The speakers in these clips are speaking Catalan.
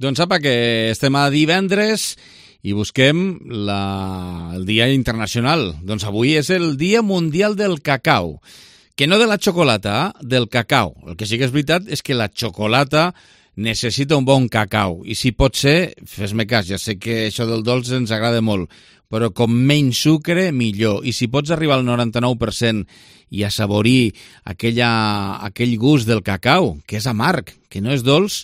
Doncs sapa que estem a divendres i busquem el Dia Internacional. Doncs avui és el Dia Mundial del Cacau. Que no de la xocolata, del cacau. El que sí que és veritat és que la xocolata necessita un bon cacau. I si pot ser, fes-me cas, ja sé que això del dolç ens agrada molt, però com menys sucre, millor. I si pots arribar al 99% i assaborir aquell gust del cacau, que és amarg, que no és dolç,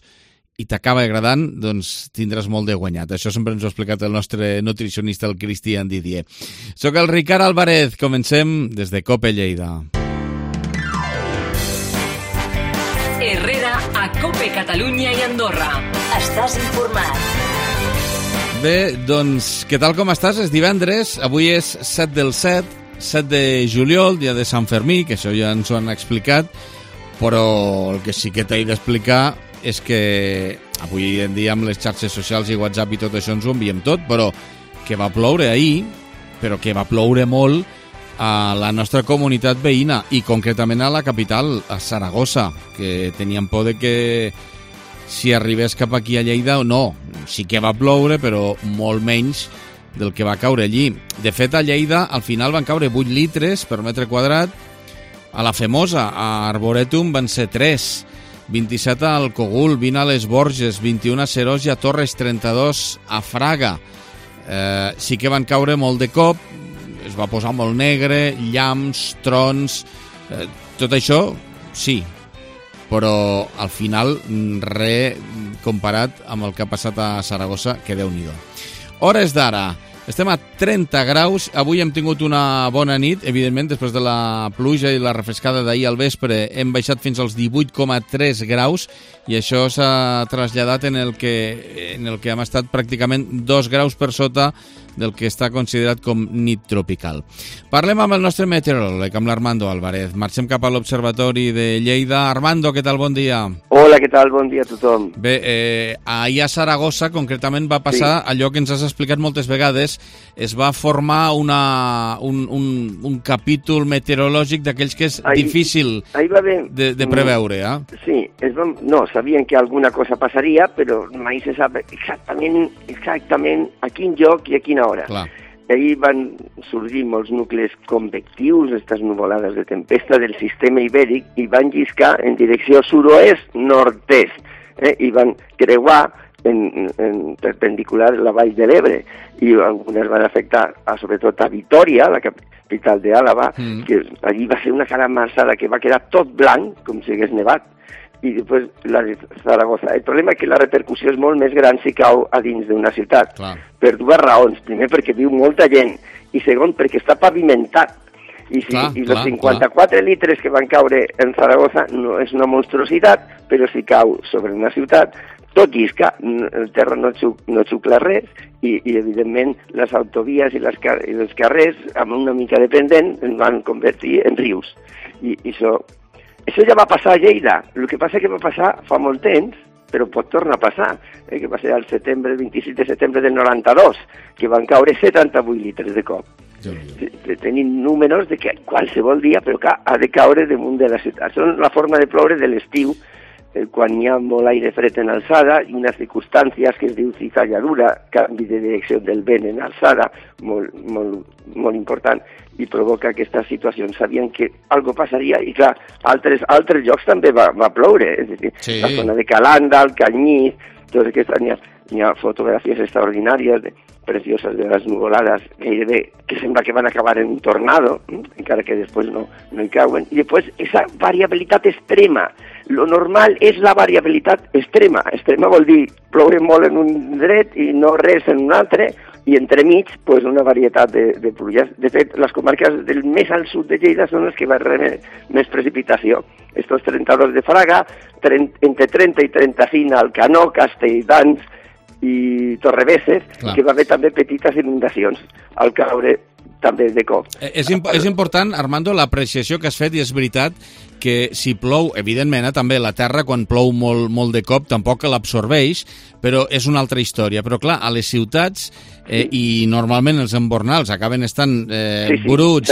i t'acaba agradant, doncs tindràs molt de guanyat. Això sempre ens ho ha explicat el nostre nutricionista, el Cristian Didier. Soc el Ricard Álvarez. Comencem des de COPE Lleida. Herrera a COPE Catalunya i Andorra. Estàs informat. Bé, doncs, què tal com estàs? És divendres, avui és 7 del 7 de juliol, dia de Sant Fermí, que això ja ens ho han explicat, però el que sí que t'he d'explicar és que avui en dia amb les xarxes socials i WhatsApp i tot això ens ho enviem tot, però que va ploure ahir, però que va ploure molt a la nostra comunitat veïna i concretament a la capital, a Saragossa, que teníem por de que si arribés cap aquí a Lleida o no. Sí que va ploure, però molt menys del que va caure allí. De fet, a Lleida al final van caure 8 litres per metre quadrat. A la Femosa, a Arboretum, van ser 3. 27 al Cogul, 20 a les Borges, 21 a Serós i a Torres, 32 a Fraga. Sí que van caure molt de cop, es va posar molt negre, llamps, trons, tot això, sí, però al final res comparat amb el que ha passat a Saragossa, que Déu-n'hi-do. Hores d'ara, estem a 30 graus, avui hem tingut una bona nit, evidentment, després de la pluja i la refrescada d'ahir al vespre hem baixat fins als 18,3 graus i això s'ha traslladat en el que hem estat pràcticament 2 graus per sota del que està considerat com nit tropical. Parlem amb el nostre meteoròleg, amb l'Armando Álvarez. Marxem cap a l'Observatori de Lleida. Armando, què tal? Bon dia. Hola, què tal? Bon dia a tothom. Bé, ahir a Saragossa, concretament, va passar allò que ens has explicat moltes vegades. Es va formar un capítol meteorològic d'aquells que és difícil de preveure. Sí, sabien que alguna cosa passaria, però mai se sap exactament a quin lloc i a quina hora. Clar. Ahir van sorgir molts nuclis convectius, aquestes nuvolades de tempesta del sistema ibèric, i van lliscar en direcció sud-oest-nord-est, i van creuar en perpendicular la vall de l'Ebre, i algunes van afectar sobretot a Vitòria, la capital d'Àlaba, que allí va ser una caramassada que va quedar tot blanc, com si hagués nevat, i després la de Zaragoza. El problema és que la repercussió és molt més gran si cau a dins d'una ciutat. Clar. Per dues raons. Primer, perquè viu molta gent, i segon, perquè està pavimentat. I els 54 litres que van caure en Zaragoza no és una monstruositat, però si cau sobre una ciutat, tot llisca, el terra no xucla res, i evidentment les autovies i els carrers, amb una mica de pendent, es van convertir en rius. I això ja va passar a Lleida. El que passa és que va passar fa molt temps, però pot tornar a passar, que va ser el 27 de setembre del 92, que van caure 78 litres de cop. Tenim números de que qualsevol dia, però que ha de caure damunt de la ciutat. Són la forma de ploure de l'estiu, quan hi ha molt aire fred en alçada i unes circumstàncies que es diu cizalladura, canvi de direcció del vent en alçada, molt important, i provoca aquestes situacions. Sabien que algo passaria i, clar, altres llocs també va ploure, és a dir, la zona de Calanda, el Canyís, tot aquestes, hi ha fotografies extraordinàries, precioses de les nuvolades, gairebé que sembla que van acabar en un tornado, encara que després no hi cauen, i després aquesta variabilitat extrema. Lo normal és la variabilitat extrema. Extrema vol dir ploure molt en un dret i no res en un altre, i entremig una varietat de pluges. De fet, les comarques del més al sud de Lleida són les que van rebre més precipitació. Estos 32 de Fraga, entre 30 i 35 al Canó, Castelldans i Torrebesses, que va haver també petites inundacions al caure també de cop. És important, Armando, l'apreciació que has fet, i és veritat que si plou, evidentment, també la terra quan plou molt de cop tampoc l'absorbeix, però és una altra història. Però clar, a les ciutats i normalment els embornals acaben estant bruts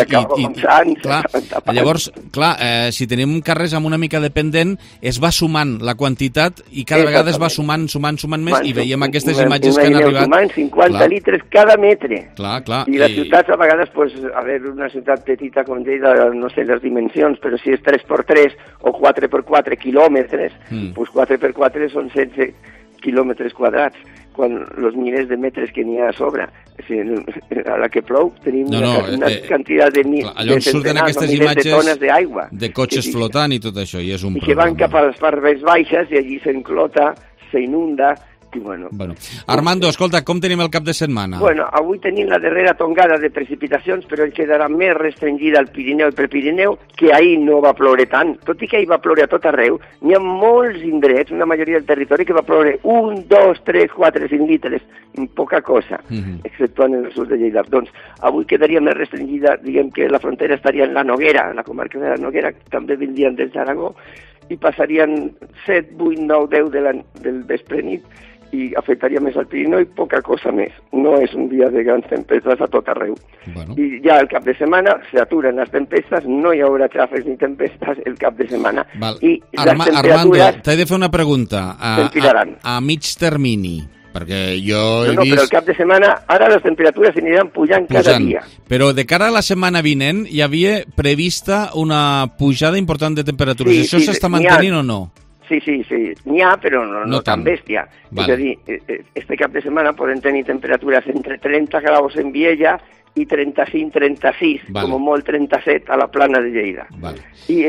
llavors, clar, si tenim carrers amb una mica de pendent, es va sumant la quantitat i cada vegada es va sumant més i veiem aquestes imatges que han arribat. Sumant 50 litres cada metre. Clar. I les ciutats a vegades, a veure, una ciutat petita com Lleida, no sé les dimensions, però si és 3x3 o 4x4 quilòmetres, doncs 4x4 són 16 quilòmetres quadrats, quan els milers de metres que n'hi ha a sobre. A la que plou tenim una quantitat de centenars o milers de tones d'aigua. De cotxes flotant i tot això, i és un problema. I que van cap a les parts més baixes i allí s'enclota, s'inunda. Bueno. Armando, escolta, com tenim el cap de setmana? Avui tenim la darrera tongada de precipitacions, però quedarà més restringida al Pirineu i Prepirineu, que ahir no va ploure tant. Tot i que ahir va ploure a tot arreu, n'hi ha molts indrets, una majoria del territori, que va ploure 1, 2, 3, 4, 5 litres, poca cosa, exceptuant en el sud de Lleida. Doncs avui quedaria més restringida, diguem que la frontera estaria en la Noguera, la comarca de la Noguera, també vindrien des d'Aragó, i passarien 7, 8, 9, 10 del vespre nit, i afectaria més al Pirineu i poca cosa més. No és un dia de grans tempestes a tot arreu. I ja el cap de setmana s'aturen les tempestes, no hi haurà xàfecs ni tempestes el cap de setmana. I les temperatures... Armando, t'he de fer una pregunta. A mig termini, perquè jo he vist... però el cap de setmana, ara les temperatures aniran pujant cada dia. Però de cara a la setmana vinent hi havia prevista una pujada important de temperatures. Això s'està mantenint o no? Sí, n'hi ha, però no tan bèstia. És a dir, este cap de setmana podem tenir temperatures entre 30 graus en Viella i 35-36, com molt 37 a la plana de Lleida. I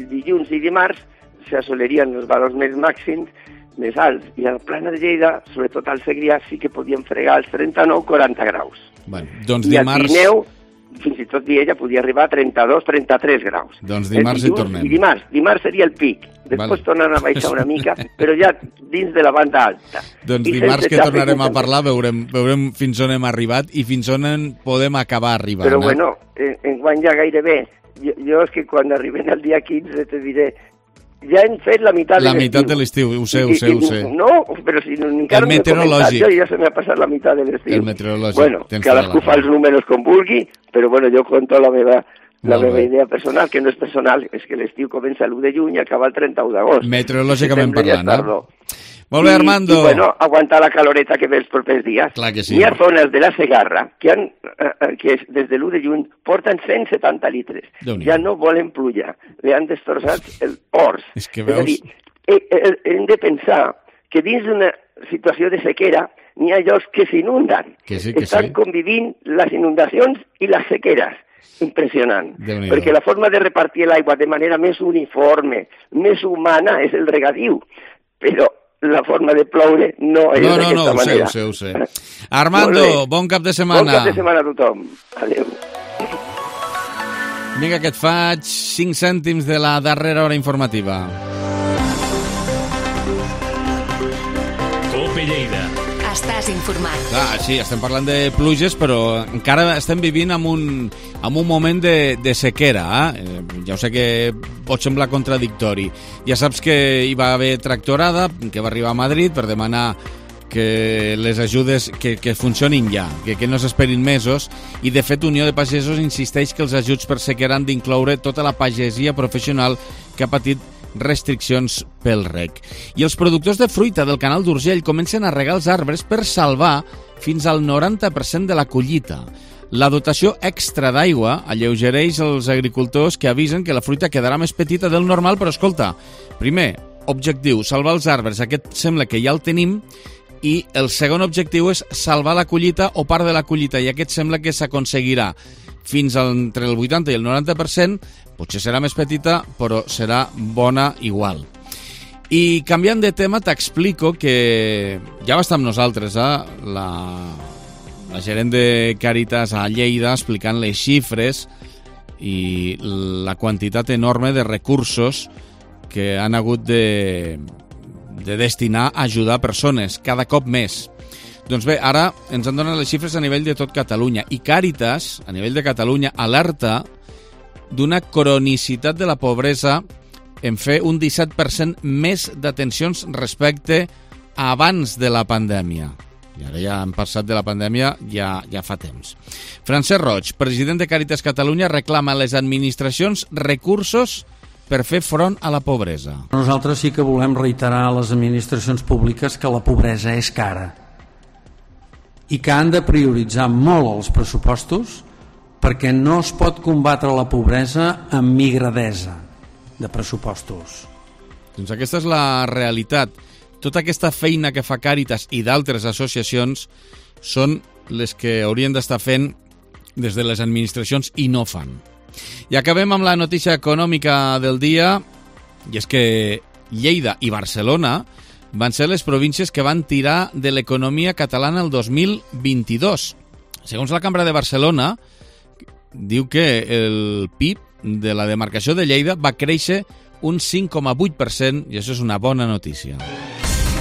dilluns i dimarts s'assolerien els valors més màxims, més alts, i a la plana de Lleida, sobretot al Segrià, sí que podien fregar els 39-40 graus. Doncs I al Pirineu, fins i tot Viella podia arribar a 32-33 graus. Doncs dimarts hi tornem. I dimarts seria el pic. Després tornen a baixar una mica, però ja dins de la banda alta. Doncs dimarts que tornarem a parlar veurem fins on hem arribat i fins on podem acabar arribant. Però bueno, enguany ja gairebé. Jo és que quan arribem al dia 15 te diré, ja hem fet la meitat de l'estiu. La meitat de l'estiu, ho sé. No, però si encara no m'he comentat, ja se m'ha passat la meitat de l'estiu. El meteorològic. Bueno, cadascú fa els números com vulgui, però bueno, jo conto la meva idea personal, que no és personal, és que l'estiu comença l'1 de juny i acaba el 31 d'agost. Meteorològicament parlant, Molt bé, Armando. I bueno, aguantar la caloreta que ve els propers dies. Clar que sí. Hi ha zones de la Segarra que des de l'1 de juny porten 170 litres. Ja no volen pluja. Li han destrossat els horts. És que veus... És a dir, hem de pensar que dins d'una situació de sequera n'hi ha llocs que s'inunden. Estan convivint les inundacions i les sequeres. Impressionant, perquè la forma de repartir l'aigua de manera més uniforme, més humana, és el regadiu, però la forma de ploure no és d'aquesta manera. Ho sé. Armando, bon cap de setmana. Bon cap de setmana a tothom. Adéu. Vinga, que et faig 5 cèntims de la darrera hora informativa. Cope Lleida. Estàs informat. Sí, estem parlant de pluges, però encara estem vivint en un moment de sequera. Ja ho sé que pot semblar contradictori. Ja saps que hi va haver tractorada, que va arribar a Madrid per demanar que les ajudes que funcionin ja, que no s'esperin mesos, i de fet Unió de Pagesos insisteix que els ajuts per sequera han d'incloure tota la pagesia professional que ha patit restriccions pel reg. I els productors de fruita del Canal d'Urgell comencen a regar els arbres per salvar fins al 90% de la collita. La dotació extra d'aigua alleugereix els agricultors que avisen que la fruita quedarà més petita del normal, però escolta, primer, objectiu, salvar els arbres, aquest sembla que ja el tenim, i el segon objectiu és salvar la collita o part de la collita, i aquest sembla que s'aconseguirà fins entre el 80 i el 90%, potser serà més petita, però serà bona igual. I canviant de tema, t'explico que ja va estar amb nosaltres la gerent de Càritas a Lleida explicant les xifres i la quantitat enorme de recursos que han hagut de destinar a ajudar persones, cada cop més. Doncs bé, ara ens han donat les xifres a nivell de tot Catalunya, i Càritas, a nivell de Catalunya, alerta d'una cronicitat de la pobresa en fer un 17% més d'atencions respecte abans de la pandèmia. I ara ja hem passat de la pandèmia ja fa temps. Francesc Roig, president de Càritas Catalunya, reclama a les administracions recursos per fer front a la pobresa. Nosaltres sí que volem reiterar a les administracions públiques que la pobresa és cara i que han de prioritzar molt els pressupostos perquè no es pot combatre la pobresa amb migradesa de pressupostos. Doncs aquesta és la realitat. Tota aquesta feina que fa Càritas i d'altres associacions són les que haurien d'estar fent des de les administracions i no fan. I acabem amb la notícia econòmica del dia, i és que Lleida i Barcelona van ser les províncies que van tirar de l'economia catalana el 2022. Segons la Cambra de Barcelona, diu que el PIB de la demarcació de Lleida va créixer un 5,8% i això és una bona notícia.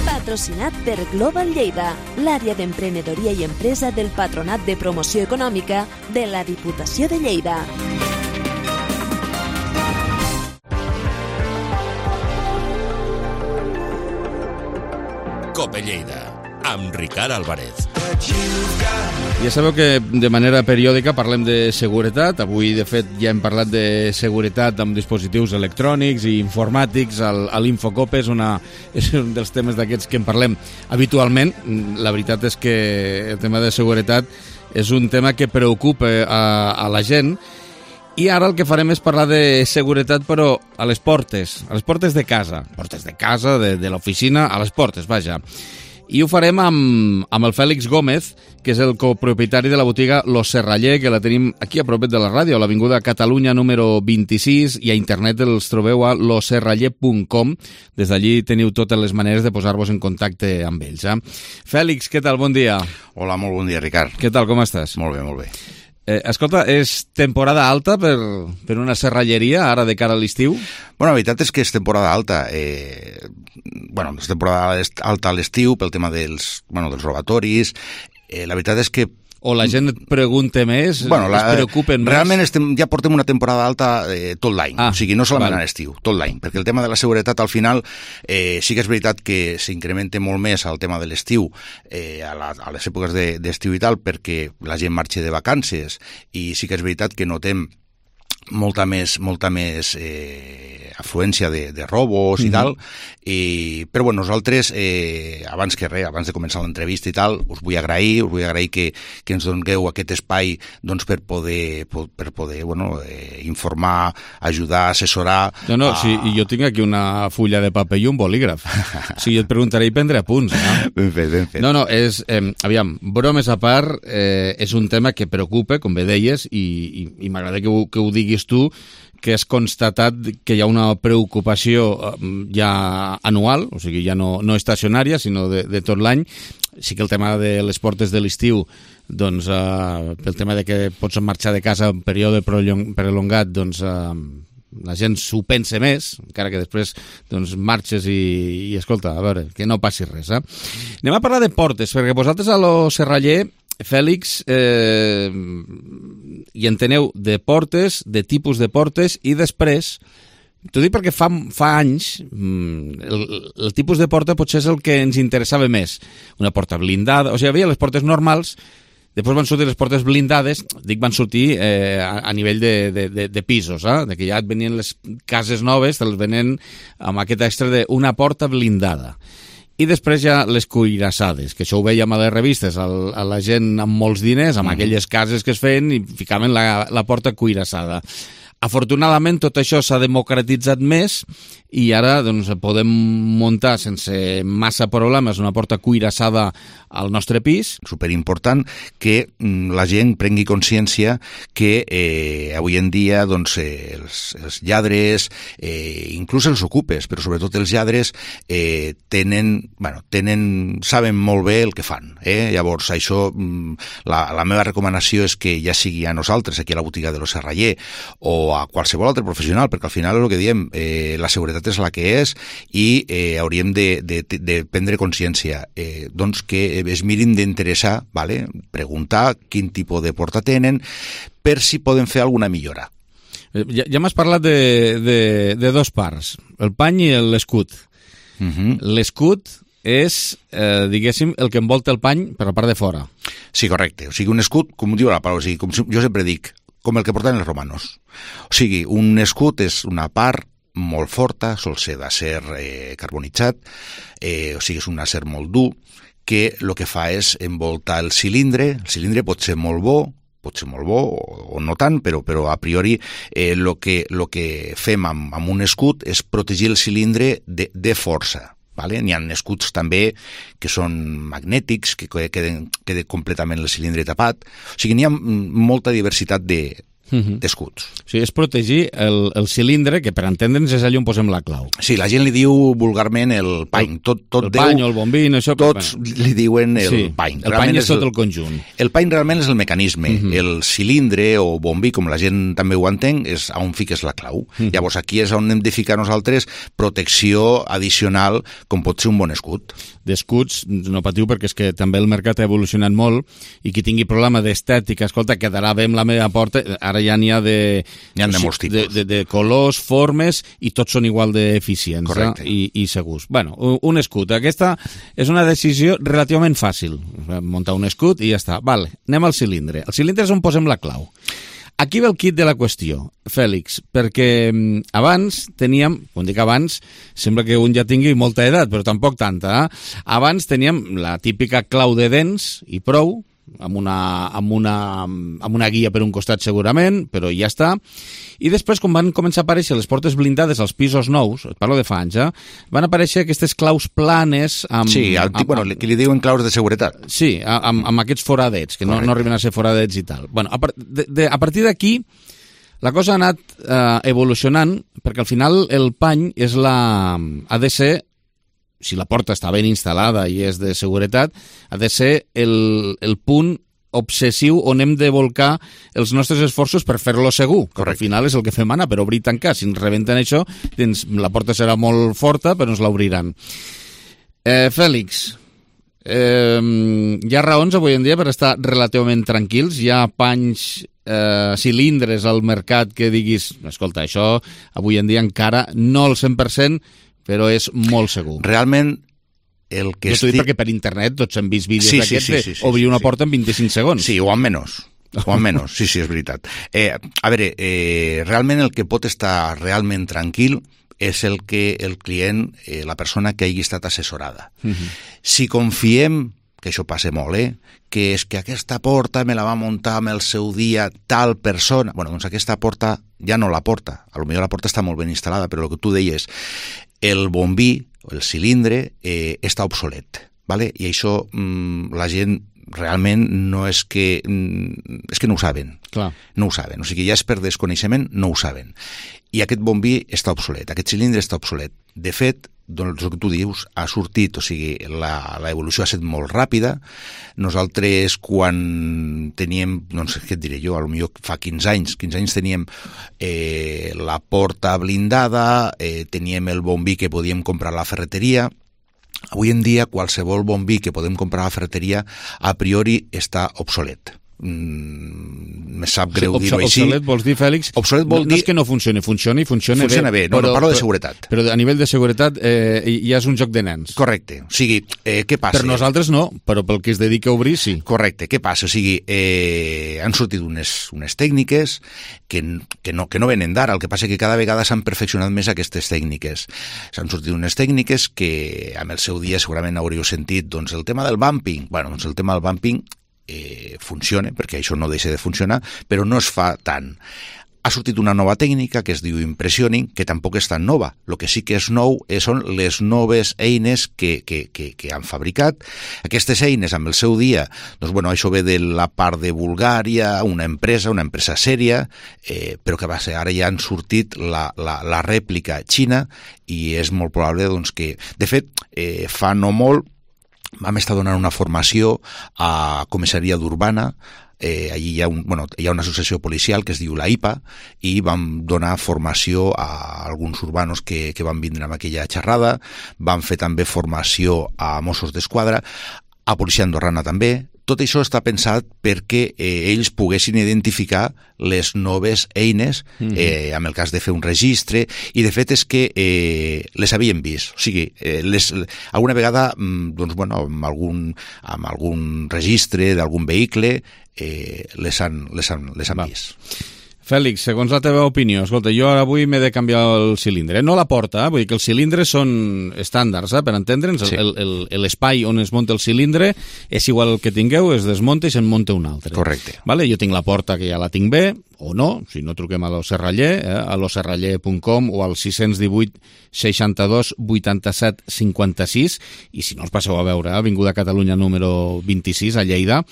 Patrocinat per Global Lleida, l'àrea d'emprenedoria i empresa del Patronat de Promoció Econòmica de la Diputació de Lleida. Cope Lleida, amb Ricard Álvarez. Ja sabeu que de manera periòdica parlem de seguretat. Avui, de fet, ja hem parlat de seguretat amb dispositius electrònics i informàtics a l'Infocope. És un dels temes d'aquests que en parlem habitualment. La veritat és que el tema de seguretat és un tema que preocupa a la gent. I ara el que farem és parlar de seguretat, però a les portes de casa. Portes de casa, de l'oficina, a les portes, vaja. I ho farem amb el Fèlix Gómez, que és el copropietari de la botiga Lo Serraller, que la tenim aquí a propet de la ràdio, a l'Avinguda Catalunya número 26, i a internet els trobeu a loserraller.com. Des d'allí teniu totes les maneres de posar-vos en contacte amb ells. Fèlix, què tal? Bon dia. Hola, molt bon dia, Ricard. Què tal, com estàs? Molt bé, molt bé. Escolta, és temporada alta per una serralleria ara de cara a l'estiu? Bueno, la veritat és que és temporada alta. És temporada alta a l'estiu pel tema dels robatoris. La veritat és que o la gent et pregunta més, es preocupen més? Realment ja portem una temporada alta tot l'any, o sigui, no solament a l'estiu, tot l'any, perquè el tema de la seguretat al final sí que és veritat que s'incrementa molt més el tema de l'estiu a les èpoques d'estiu i tal, perquè la gent marxa de vacances i sí que és veritat que notem molta més afluència de robos i tal, però bueno, nosaltres abans de començar l'entrevista i tal, us vull agrair que ens dongueu aquest espai doncs, per poder informar, ajudar, assessorar. Sí, i jo tinc aquí una fulla de paper i un bolígraf. O sigui, et preguntaré i prendré apunts. Ben fet. Aviam, bromes a part, és un tema que preocupa, com bé deies, i m'agrada que ho diguis tu, que has constatat que hi ha una preocupació ja anual, o sigui, ja no estacionària, sinó de tot l'any. Sí que el tema de les portes de l'estiu, doncs, pel tema de que pots marxar de casa en període prolongat, doncs, la gent s'ho pensa més, encara que després doncs, marxes i escolta, a veure, que no passi res. Anem a parlar de portes, perquè vosaltres a Lo Serraller, Fèlix, i enteneu de portes, de tipus de portes, i després, t'ho dic perquè fa anys, el tipus de porta potser és el que ens interessava més. Una porta blindada, o sigui, hi havia les portes normals, després van sortir les portes blindades, van sortir a nivell de pisos, de que ja et venien les cases noves, te'ls venen amb aquest extra d'una porta blindada. I després ja les cuirassades, que això ho veiem a les revistes, a la gent amb molts diners, amb aquelles cases que es feien i ficaven la porta cuirassada. Afortunadament tot això s'ha democratitzat més i ara doncs, podem muntar sense massa problemes una porta cuirassada al nostre pis. Superimportant que la gent prengui consciència que avui en dia doncs, els lladres, inclús els ocupes, però sobretot els lladres, saben molt bé el que fan. Llavors, això, la meva recomanació és que ja sigui a nosaltres, aquí a la botiga de Lo Serraller, o a qualsevol altre professional, perquè al final és el que diem, la seguretat és la que és i hauríem de prendre consciència, doncs que es mirin d'interessar, preguntar quin tipus de porta tenen per si poden fer alguna millora. Ja m'has parlat de dos parts, el pany i l'escut. L'escut és, diguéssim, el que envolta el pany per la part de fora. Sí, correcte. O sigui, un escut, com diu la paraula, o sigui, com jo sempre dic, com el que portaven els romanos. O sigui, un escut és una part molt forta, sol ser d'acer carbonitzat, o sigui, és un acer molt dur, que el que fa és envoltar el cilindre pot ser molt bo o no tant, però a priori el que fem amb un escut és protegir el cilindre de força. Vale? N'hi ha escuts també que són magnètics, que queda completament el cilindre tapat. O sigui, n'hi ha molta diversitat d'escuts. O sigui, és protegir el cilindre, que per entendre'ns és allà on posem la clau. Sí, la gent li diu vulgarment el pany. El pany o el bombín, això... Tots li diuen el pany. El pany és tot el conjunt. El pany realment és el mecanisme. El cilindre o bombí, com la gent també ho entén, és on fiques la clau. Llavors, aquí és on hem de ficar nosaltres protecció addicional, com pot ser un bon escut. D'escuts, no patiu, perquè és que també el mercat ha evolucionat molt i qui tingui problema d'estètica, escolta, quedarà bé amb la meva porta. Ara ja n'hi ha de molts tipus. De colors, formes, i tots són igual d'eficients i segurs. Bueno, un escut. Aquesta és una decisió relativament fàcil. Muntar un escut i ja està. Vale, anem al cilindre. El cilindre és on posem la clau. Aquí ve el kit de la qüestió, Fèlix, perquè abans teníem, quan dic abans, sembla que un ja tingui molta edat, però tampoc tanta. Abans teníem la típica clau de dents i prou, amb una guia per un costat segurament, però ja està. I després, quan van començar a aparèixer les portes blindades als pisos nous, et parlo de fa anys, van aparèixer aquestes claus planes amb... Sí, que li diuen claus de seguretat. Sí, amb aquests foradets, que no arriben a ser foradets i tal. Bueno, a partir d'aquí, la cosa ha anat evolucionant, perquè al final el pany ha de ser, si la porta està ben instal·lada i és de seguretat, ha de ser el punt obsessiu on hem de volcar els nostres esforços per fer-lo segur. Correcte. Al final és el que fem anar, per obrir i tancar. Si ens rebenten això, la porta serà molt forta, però ens l'obriran. Fèlix, hi ha raons avui en dia per estar relativament tranquils? Hi ha panys, cilindres al mercat que diguis, escolta, això avui en dia encara no al 100%, però és molt segur. Realment, el que jo t'ho dic perquè per internet tots hem vist vídeos d'aquests d'obrir una porta en 25 segons. Sí, o en menys. Sí, és veritat. A veure, realment el que pot estar realment tranquil és el que el client, la persona que hagi estat assessorada. Si confiem, que això passa molt, que és que aquesta porta me la va muntar amb el seu dia tal persona, bueno, doncs aquesta porta ja no la porta. A lo millor la porta està molt ben instal·lada, però el que tu deies, el bombí, el cilindre, està obsolet, ¿vale? I això la gent realment no és que... és que no ho saben. Clar. No ho saben. O sigui, ja és per desconeixement, no ho saben. I aquest bombí està obsolet, aquest cilindre està obsolet. De fet, doncs el que tu dius ha sortit, o sigui, l'evolució ha estat molt ràpida. Nosaltres, quan teníem, doncs, què et diré jo, potser fa 15 anys teníem la porta blindada, teníem el bombí que podíem comprar a la ferreteria. Avui en dia, qualsevol bombí que podem comprar a la ferreteria, a priori està obsolet. Me sap greu dir-ho així. Obsolet vols dir, Fèlix? Obsolet vol dir... No és que no funcioni, funciona bé. No, parlo de seguretat. Però a nivell de seguretat ja és un joc de nens. Correcte. O sigui, què passa? Per nosaltres no, però pel que es dedica a obrir, sí. Correcte. Què passa? O sigui, han sortit unes tècniques que no venen d'ara. El que passa és que cada vegada s'han perfeccionat més aquestes tècniques. S'han sortit unes tècniques que amb el seu dia segurament hauríeu sentit, doncs el tema del bumping. Bueno, doncs el tema del bumping funciona, perquè això no deixa de funcionar, però no es fa tant. Ha sortit una nova tècnica que es diu impressioning, que tampoc és tan nova. El que sí que és nou són les noves eines que han fabricat. Aquestes eines, amb el seu dia, doncs, bueno, això ve de la part de Bulgària, una empresa sèria, però que va ser, ara ja han sortit la rèplica xina, i és molt probable doncs, que, de fet, fa no molt, vam estar donant una formació a comissaria d'Urbana. Allí hi ha una associació policial que es diu la IPA, i vam donar formació a alguns urbanos que van vindre amb aquella xerrada. Vam fer també formació a Mossos d'Esquadra, a policia andorrana també, tot això està pensat perquè ells poguessin identificar les noves eines, en el cas de fer un registre, i de fet és que les havien vist. O sigui, alguna vegada, doncs, bueno, amb algun registre d'algun vehicle, les han vist. Fèlix, segons la teva opinió, escolta, jo ara avui m'he de canviar el cilindre. No la porta, vull dir que els cilindres són estàndards, per entendre'ns. Sí. L'espai on es munta el cilindre és igual el que tingueu, es desmunta i se'n munta un altre. Correcte. Vale? Jo tinc la porta que ja la tinc bé, o no, si no truquem a l'Oserraller, a l'oserraller.com o al 618 62 87 56, i si no us passeu a veure, Avinguda Catalunya número 26 a Lleida.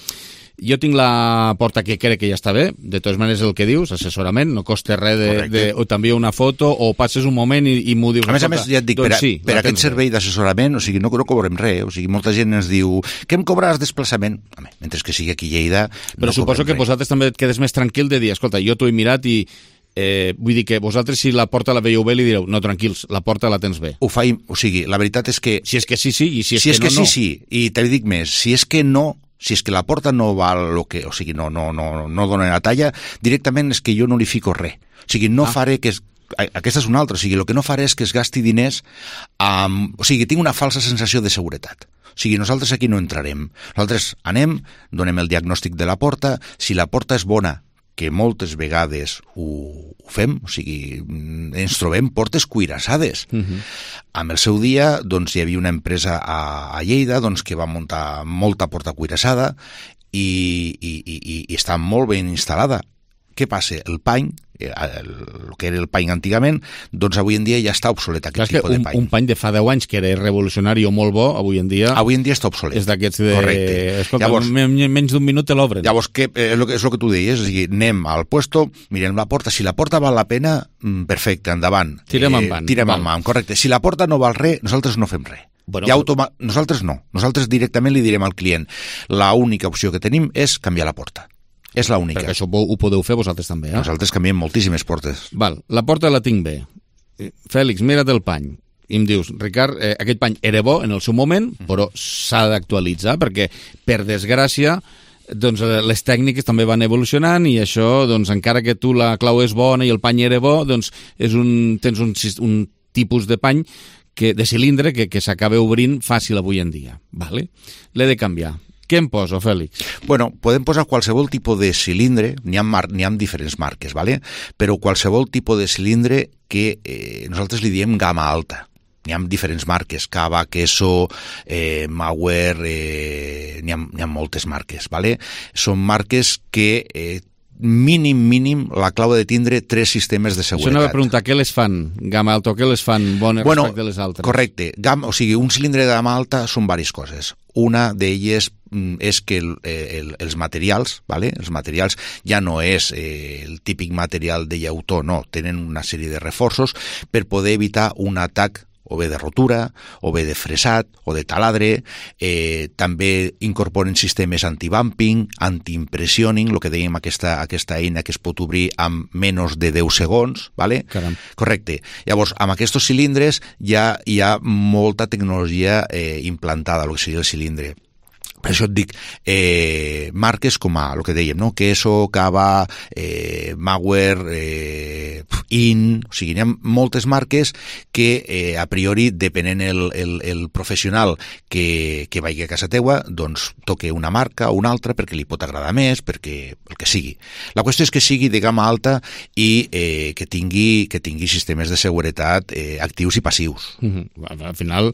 Jo tinc la porta que crec que ja està bé, de totes maneres el que dius, assessorament, no costa res o t'envia una foto o passes un moment i m'ho dius. A més, ja et dic, doncs per aquest servei d'assessorament, o sigui, no cobrem res, o sigui, molta gent ens diu, què em cobraràs desplaçament? Home, mentre que sigui aquí a Lleida, però suposo que vosaltres també et quedes més tranquil de dir, escolta, jo t'ho he mirat i vull dir que vosaltres si la porta la veieu bé li direu, no, tranquils, la porta la tens bé. O sigui, la veritat és que... Si és que sí, i si és que no, no. Sí, i te dic més, si és que no, si és que la porta no val lo que, o sigui, no dona la talla, directament és que jo no li fico res. O sigui, no faré que... Aquesta és una altra, o sigui, el que no faré és que es gasti diners o sigui, tinc una falsa sensació de seguretat. O sigui, nosaltres aquí no entrarem. Nosaltres anem, donem el diagnòstic de la porta, si la porta és bona, que moltes vegades ho fem, o sigui, ens trobem portes cuirassades. Amb el seu dia, doncs, hi havia una empresa a Lleida doncs, que va muntar molta porta cuirassada i està molt ben instal·lada. Què passa? El pany, el que era el pany antigament, doncs avui en dia ja està obsolet aquest tipus de pany. Un pany de fa 10 anys que era revolucionari o molt bo, avui en dia està obsolet. És d'aquests de... Correcte. Escolta, llavors, menys d'un minut te l'obren. Llavors, és el que tu deies, o sigui, anem al puesto, mirem la porta, si la porta val la pena, perfecte, endavant. Tirem endavant. Correcte. Si la porta no val res, nosaltres no fem res. Bueno, nosaltres no. Nosaltres directament li direm al client, l'única opció que tenim és canviar la porta. És l'única. Perquè això ho podeu fer vosaltres també, eh? Nosaltres canviem moltíssimes portes. Val, la porta la tinc bé. Fèlix, mira't el pany. I em dius, Ricard, aquest pany era bo en el seu moment, però s'ha d'actualitzar, perquè, per desgràcia, doncs les tècniques també van evolucionant i això, doncs encara que tu la clau és bona i el pany era bo, doncs tens un tipus de pany de cilindre que s'acaba obrint fàcil avui en dia. Vale? L'he de canviar. Què em poso, Fèlix? Bueno, podem posar qualsevol tipus de cilindre, n'hi ha diferents marques, ¿vale? Però qualsevol tipus de cilindre que nosaltres li diem gamma alta. N'hi ha diferents marques, Cava, Queso, Mauer, n'hi ha moltes marques, ¿vale? Són marques que mínim la clau de tindre 3 sistemes de seguretat. Això anava a preguntar, què les fan gamma alta o què les fan bones respecte a les altres? Correcte. O sigui, un cilindre de gamma alta són diverses coses. Una d'elles és que els materials, ¿vale? Els materials ja no és el típic material de llautó, no, tenen una sèrie de reforços per poder evitar un atac o bé de rotura, o bé de fresat, o de taladre. També incorporen sistemes anti-bumping, anti-impressioning, el que dèiem aquesta eina que es pot obrir amb menys de 10 segons, ¿vale? Caram. Correcte. Llavors, amb aquests cilindres ja hi ha molta tecnologia implantada, el que seria el cilindre. Per això et dic, marques com el que dèiem, no? Queso, Cava, Mauer, In, o sigui, hi ha moltes marques que a priori, depenent el professional que vagi a casa teua, doncs toque una marca o una altra perquè li pot agradar més, perquè el que sigui. La qüestió és que sigui de gamma alta i que tingui sistemes de seguretat actius i passius. Al final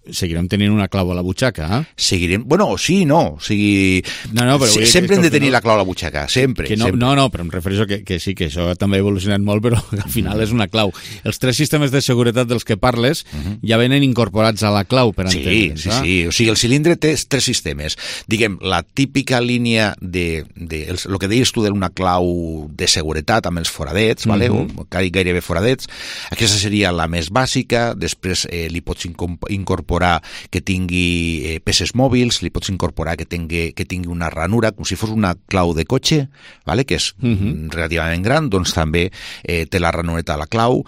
seguirem tenint una clau a la butxaca, eh? Seguirem... Bueno, sí, no. O sigui... No, però sempre hem de tenir la clau a la butxaca, sempre. No, però em refereixo que sí, que això també ha evolucionat molt, però al final és una clau. Els 3 sistemes de seguretat dels que parles ja venen incorporats a la clau, per entendre'ns. Sí. O sigui, el cilindre té 3 sistemes. Diguem, la típica línia el que deies tu d'una clau de seguretat amb els foradets, vale? O gairebé foradets. Aquesta seria la més bàsica. Després li pots incorporar incorporar que tingui peces mòbils, li pots incorporar que tingui una ranura, com si fos una clau de cotxe, vale? Que és relativament gran, doncs també té la ranureta a la clau,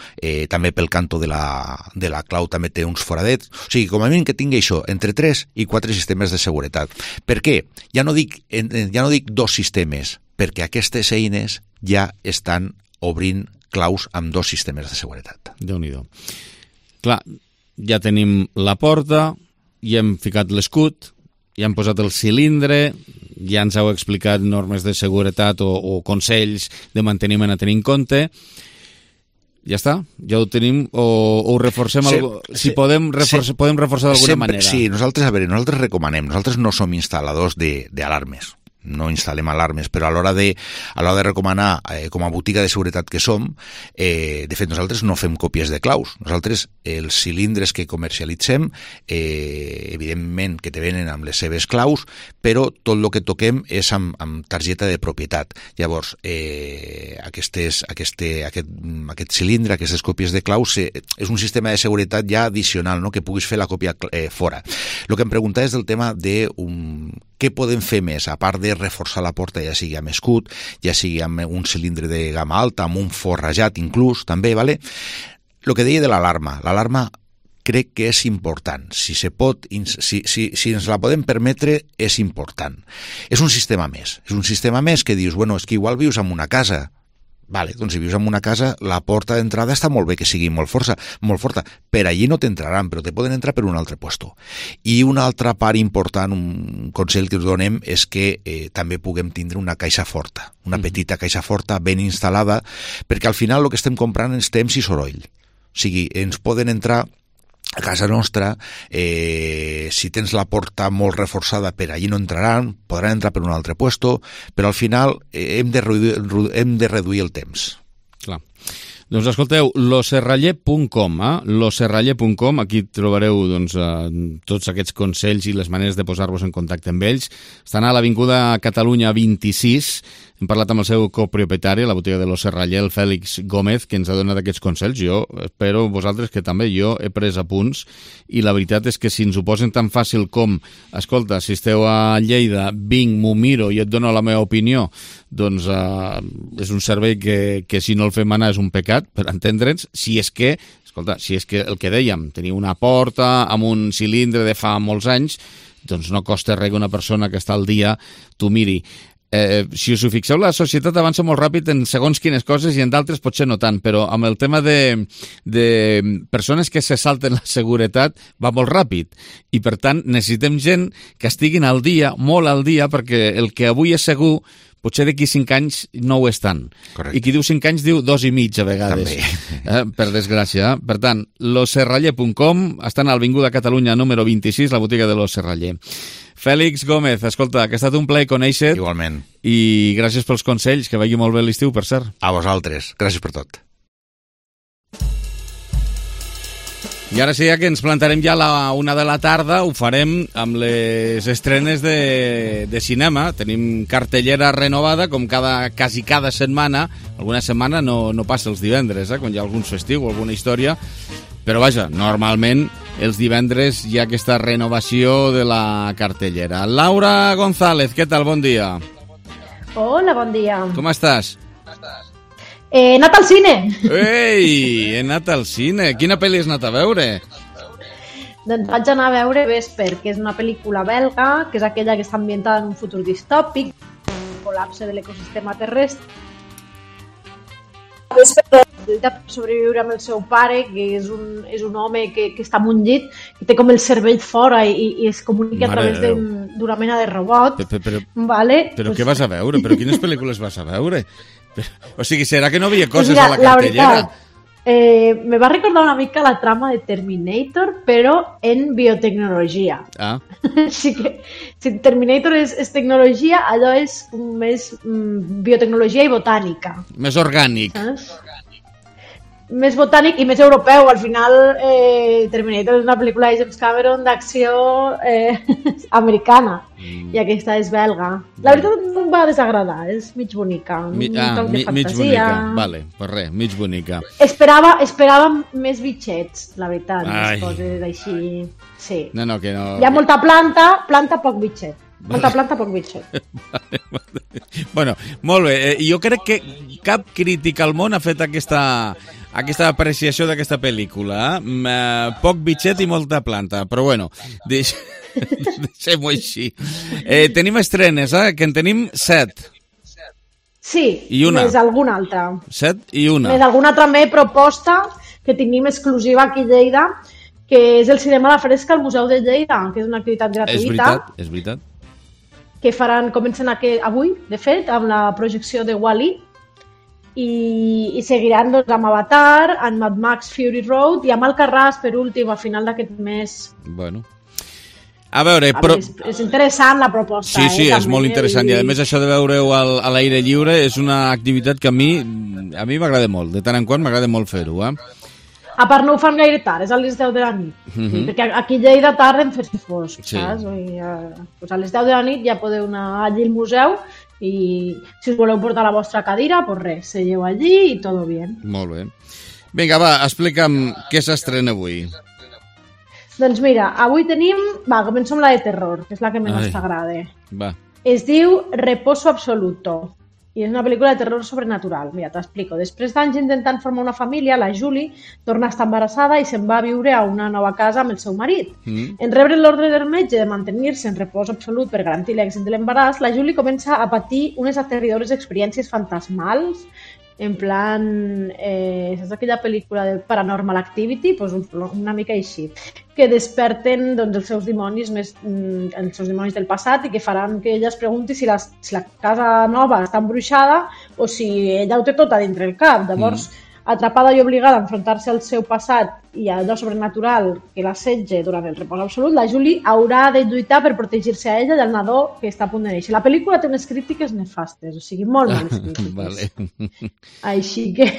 també pel canto de la clau també té uns foradets, o sigui, com a mínim que tingui això, entre 3 i 4 sistemes de seguretat. Per què? Ja no dic 2 sistemes, perquè aquestes eines ja estan obrint claus amb 2 sistemes de seguretat. Déu-n'hi-do. Clar, ja tenim la porta, ja hem ficat l'escut, ja hem posat el cilindre, ja ens heu explicat normes de seguretat o consells de manteniment a tenir en compte. Ja està? Ja ho tenim o ho reforcem? Podem reforçar d'alguna manera? Sí, nosaltres recomanem, nosaltres no som instal·ladors d'alarmes, no instal·lem alarmes, però a l'hora de recomanar, com a botiga de seguretat que som, de fet nosaltres no fem còpies de claus. Nosaltres els cilindres que comercialitzem, evidentment que te venen amb les seves claus, però tot el que toquem és amb targeta de propietat. Llavors, aquest cilindre, aquestes còpies de claus, és un sistema de seguretat ja addicional, no? Que puguis fer la còpia fora. El que em preguntaves del tema de què podem fer més, a part de reforçar la porta, ja sigui amb escut, ja sigui amb un cilindre de gamma alta, amb un forrajat inclús, també, ¿vale? El que deia de l'alarma crec que és important. Si ens la podem permetre, és important. És un sistema més que dius, bueno, és que igual vius en una casa. Vale, doncs si vius en una casa, la porta d'entrada està molt bé que sigui molt forta. Per allí no t'entraran, però te poden entrar per un altre puesto. I una altra part important, un consell que us donem, és que també puguem tindre una caixa forta, una petita caixa forta ben instal·lada, perquè al final el que estem comprant és temps i soroll. O sigui, ens poden entrar a casa nostra, si tens la porta molt reforçada, per allí no entraran, podran entrar per un altre puesto, però al final hem de reduir el temps. Clar. Doncs escolteu, loserraller.com, loserraller.com, aquí trobareu tots aquests consells i les maneres de posar-vos en contacte amb ells. Estan a l'Avinguda Catalunya 26, hem parlat amb el seu copropietari, la botiga de l'Oserraller, el Fèlix Gómez, que ens ha donat aquests consells. Jo espero vosaltres que també jo he pres apunts i la veritat és que si ens ho posen tan fàcil com, escolta, si esteu a Lleida, vinc, m'ho miro i et dono la meva opinió, doncs és un servei que si no el fem anar és un pecat, per entendre'ns, si és que el que dèiem, tenir una porta amb un cilindre de fa molts anys, doncs no costa res que una persona que està al dia t'ho miri. Si us ho fixeu, la societat avança molt ràpid en segons quines coses i en d'altres potser no tant, però amb el tema de persones que se salten la seguretat va molt ràpid i per tant necessitem gent que estiguin al dia, molt al dia, perquè el que avui és segur potser d'aquí 5 anys no ho és tant. Correcte. I qui diu 5 anys diu 2 i mig a vegades. Per desgràcia. Per tant, loserraller.com, estan a l'Avinguda Catalunya número 26, la botiga de l'Oserraller. Fèlix Gómez, escolta, que ha estat un plaer conèixer. Igualment. I gràcies pels consells, que vagi molt bé l'estiu, per cert. A vosaltres. Gràcies per tot. I ara sí, ja que ens plantarem ja a la 1 de la tarda, ho farem amb les estrenes de cinema. Tenim cartellera renovada, com quasi cada setmana. Alguna setmana no passa els divendres, quan hi ha algun festiu o alguna història. Però vaja, normalment els divendres hi ha aquesta renovació de la cartellera. Laura González, què tal? Bon dia. Hola, bon dia. Com estàs? He anat al cine. Ei, he anat al cine. Quina pel·li has anat a veure? Doncs vaig anar a veure Vesper, que és una pel·lícula belga, que és aquella que està ambientada en un futur distòpic, el col·lapse de l'ecosistema terrestre. Vesper ha de sobreviure amb el seu pare, que és un home que està en un llit, que té com el cervell fora i es comunica a través d'una mena de robot. Però què vas a veure? Però quines pel·lícules vas a veure? O sigui, serà que no havia coses a la cartellera? Me va recordar una mica la trama de Terminator, però en biotecnologia. Així que, si Terminator és tecnologia, allò és més biotecnologia i botànica. Més orgànic. més botànic i més europeu. Al final, Terminator és una pel·lícula de James Cameron d'acció americana i aquesta és belga. La veritat no em va desagradar, és mig bonica. Mig bonica, vale, pues res, mig bonica. Esperava més bitxets, la veritat, més coses així. Sí. No, que no... Hi ha molta planta poc bitxet. Molta planta, poc bitxet. Vale. Bueno, molt bé. Jo crec que cap crític al món ha fet aquesta apreciació d'aquesta pel·lícula. Poc bitxet i molta planta, però bueno, deixem-ho així. Tenim estrenes, que en tenim 7. Sí, i una. Més alguna altra. 7 i una. Més alguna també proposta que tenim exclusiva aquí a Lleida, que és el cinema a la fresca al Museu de Lleida, que és una activitat gratuïta. És veritat. Que comencen avui, de fet, amb la projecció de Wall-E, i seguiran doncs, amb Avatar, amb Mad Max Fury Road i amb Alcarràs, per últim, a final d'aquest mes. Bueno. A veure... És interessant la proposta. Sí, és molt interessant. I a més això de veure-ho a l'aire lliure és una activitat que a mi m'agrada molt. De tant en quant m'agrada molt fer-ho, A part no ho fan gaire tard, és a les 10 de la nit. Perquè aquí a Lleida tarden fer-se fosc, saps? Pues a les 10 de la nit ja podeu anar allí al museu i si us voleu portar la vostra cadira, pues res, seieu allí i tot bé. Molt bé. Vinga, va, explica'm què s'estrena avui. Doncs mira, avui tenim... començo amb la de terror, que és la que menys t'agrada. Va. Es diu Reposo Absoluto. I és una pel·lícula de terror sobrenatural. Mira, t'explico. Després d'anys intentant formar una família, la Julie torna a estar embarassada i se'n va a viure a una nova casa amb el seu marit. En rebre l'ordre del metge de mantenir-se en repòs absolut per garantir l'èxit de l'embaràs, la Julie comença a patir unes aterridores experiències fantasmals, en plan, saps aquella pel·lícula de Paranormal Activity? Pues una mica així, que desperten doncs, els seus dimonis del passat i que faran que ella es pregunti si la casa nova està embruixada o si ella ho té tot a dintre el cap. Llavors, atrapada i obligada a enfrontar-se al seu passat i a allò sobrenatural que l'assetja durant el repòs absolut, la Julie haurà de lluitar per protegir-se a ella i al nadó que està a punt de néixer. La pel·lícula té unes crítiques nefastes, o sigui, molt males crítiques. Vale. Així que,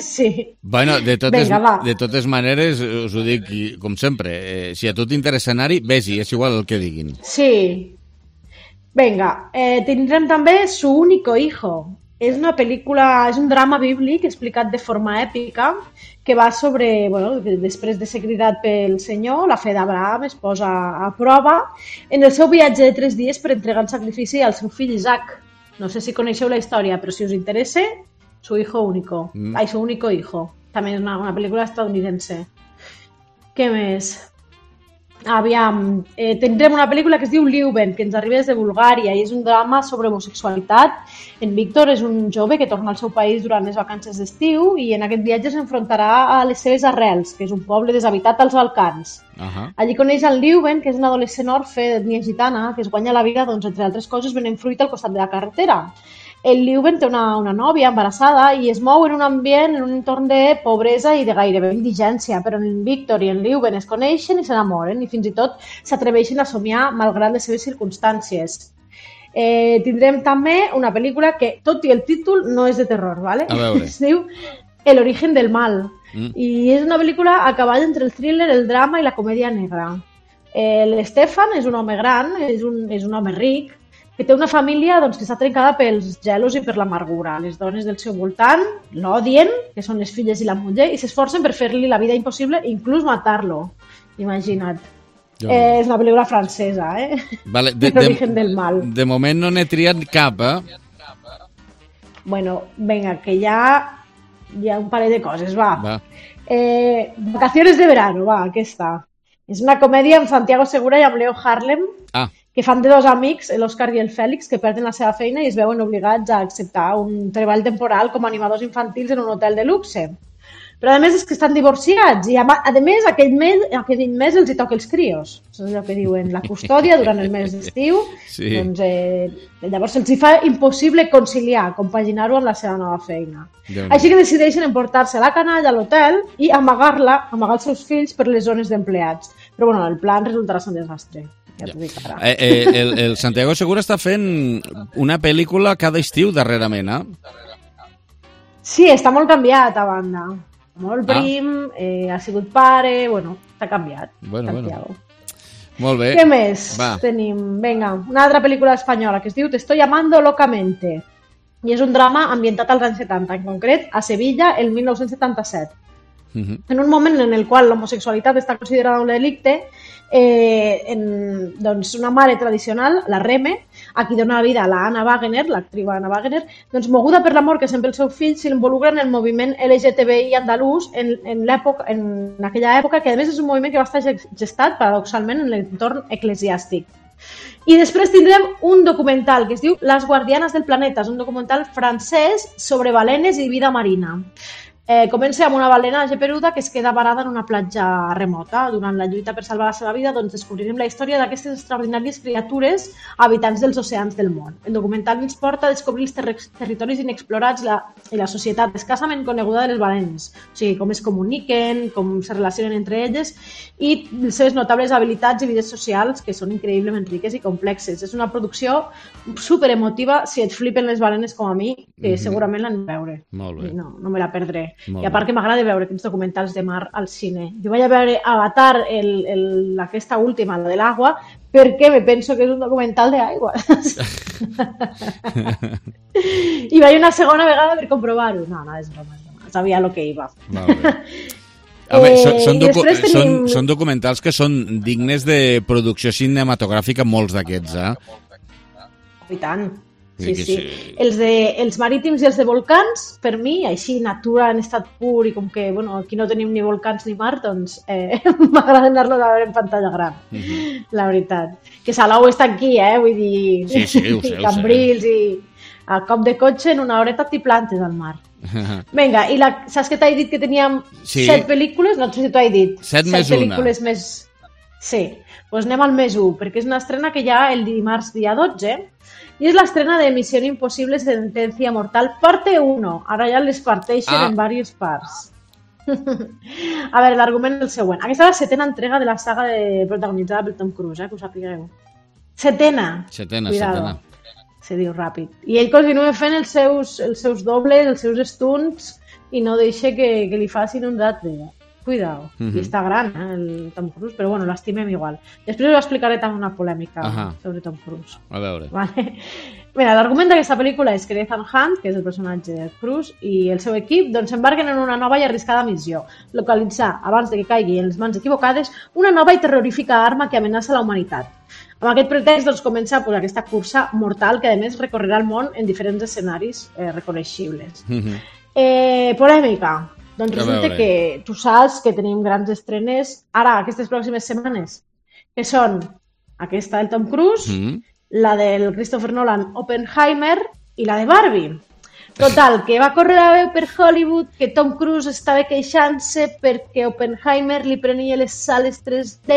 sí. Bueno, de totes maneres, us ho dic com sempre, si a tu t'interessa anar-hi, vés-hi, és igual el que diguin. Sí. Vinga, tindrem també Su único hijo. És una pel·lícula, és un drama bíblic explicat de forma èpica que va sobre, després de ser cridat pel Senyor, la fe d'Abraham es posa a prova en el seu viatge de 3 dies per entregar el sacrifici al seu fill Isaac. No sé si coneixeu la història, però si us interessa, Su hijo único. Su único hijo. També és una pel·lícula estadounidense. Què més? Aviam, tindrem una pel·lícula que es diu Leuven, que ens arriba des de Bulgària i és un drama sobre homosexualitat. En Víctor és un jove que torna al seu país durant les vacances d'estiu i en aquest viatge s'enfrontarà a les seves arrels, que és un poble deshabitat als Balcans. Allí coneix el Leuven, que és un adolescent orfe d'ètnia gitana que es guanya la vida, doncs, entre altres coses, venent fruit al costat de la carretera. El Leuven té una nòvia embarassada i es mou en un ambient, en un entorn de pobresa i de gairebé indigència, però en Víctor i en Leuven es coneixen i s'enamoren i fins i tot s'atreveixen a somiar malgrat les seves circumstàncies. Tindrem també una pel·lícula que, tot i el títol, no és de terror, ¿vale? A veure. Es diu El origen del mal i és una pel·lícula a cavall entre el thriller, el drama i la comèdia negra. L'Stefan és un home gran, és un home ric, que té una família que està trencada pels gelos i per l'amargura. Les dones del seu voltant l'odien, que són les filles i la muller, i s'esforcen per fer-li la vida impossible, inclús matar-lo. Imagina't. És una pel·lícula francesa, Vale, L'origen del mal. De moment no n'he triat cap, Bueno, venga, que hi ha un parell de coses, va. Vacaciones de verano, va, aquesta. És una comèdia amb Santiago Segura i amb Leo Harlem, que fan de dos amics, l'Òscar i el Fèlix, que perden la seva feina i es veuen obligats a acceptar un treball temporal com a animadors infantils en un hotel de luxe. Però a més és que estan divorciats i a més aquell mes els hi toca els crios. És allò que diuen, la custòdia durant el mes d'estiu. Sí. Doncs, llavors se'ls hi fa impossible conciliar, compaginar-ho amb la seva nova feina. Així que decideixen emportar-se la canalla a l'hotel i amagar els seus fills per les zones d'empleats. Però bueno, el plan resultarà ser un desastre. Ja t'ho dic ara. El Santiago Segura està fent una pel·lícula cada estiu darrerament, Sí, està molt canviat a banda. molt prim, ha sigut pare, bueno, s'ha canviat. Bueno. Molt bé. Què més tenim? Vinga, una altra pel·lícula espanyola que es diu Te estoy amando locamente. I és un drama ambientat als anys 70, en concret a Sevilla, el 1977. En un moment en el qual l'homosexualitat està considerada un delicte, doncs una mare tradicional, la Reme, a qui dona la vida a la Anna Wagner, l'actriu Anna Wagner, doncs moguda per l'amor que sent pel seu fill, s'involucra en el moviment LGTBI andalús en aquella època, que a més és un moviment que va estar gestat paradoxalment en l'entorn eclesiàstic. I després tindrem un documental que es diu Las guardianas del planeta, és un documental francès sobre balenes i vida marina. Comença amb una balena geperuda que es queda varada en una platja remota. Durant la lluita per salvar la seva vida, doncs descobrirem la història d'aquestes extraordinàries criatures habitants dels oceans del món. El documental ens porta a descobrir els territoris inexplorats i la societat escassament coneguda de les balenes, o sigui, com es comuniquen, com se relacionen entre elles i les seves notables habilitats i vides socials que són increïblement riques i complexes. És una producció superemotiva si et flipen les balenes com a mi, que segurament l'han de veure. Molt bé. No me la perdré. I a part que m'agrada veure aquests documentals de mar al cine. Jo vaig a veure Avatar, aquesta última, la de l'aigua, perquè me penso que és un documental d'aigua. I vaig una segona vegada per comprovar-ho. No, és broma. Sabia el que iba. Són documentals que són dignes de producció cinematogràfica, molts d'aquests, I tant. Sí. Els marítims i els de volcans, per mi, així, natura en estat pur i com que, aquí no tenim ni volcans ni mar, doncs m'agrada anar-los a veure en pantalla gran, la veritat. Que Salou està aquí, vull dir, ho sé, Cambrils i a cop de cotxe en una horeta t'hi plantes al mar. Vinga, i saps que t'he dit que teníem 7 pel·lícules? No sé si t'ho he dit. 7 més pel·lícules una. Sí, doncs anem al més 1, perquè és una estrena que hi ha el dimarts dia 12, i és l'estrena de Misión Imposible Sentencia Mortal, parte 1. Ara ja les parteixen en diverses parts. A veure, l'argument és el següent. Aquesta és la 7ª entrega de la saga protagonitzada per Tom Cruise, que ho sapigueu. 7ª. Setena. Se diu ràpid. I ell continua fent els seus dobles, els seus stunts, i no deixa que li facin un altre. Cuidao. I està gran, el Tom Cruise, però bueno, l'estimem igual. Després us explicaré també una polèmica sobre Tom Cruise. A veure. Vale. Mira, l'argument d'aquesta pel·lícula és que Ethan Hunt, que és el personatge de Cruise, i el seu equip s'embarquen en una nova i arriscada missió: localitzar, abans de que caigui en les mans equivocades, una nova i terrorífica arma que amenaça la humanitat. Amb aquest pretext comença aquesta cursa mortal que a més recorrerà el món en diferents escenaris reconeixibles. Polèmica. Doncs resulta que tu saps que tenim grans estrenes ara, aquestes pròximes setmanes, que són aquesta del Tom Cruise, la del Christopher Nolan, Oppenheimer, i la de Barbie. Total, que va córrer la veu per Hollywood que Tom Cruise estava queixant-se perquè Oppenheimer li prenia les sales 3D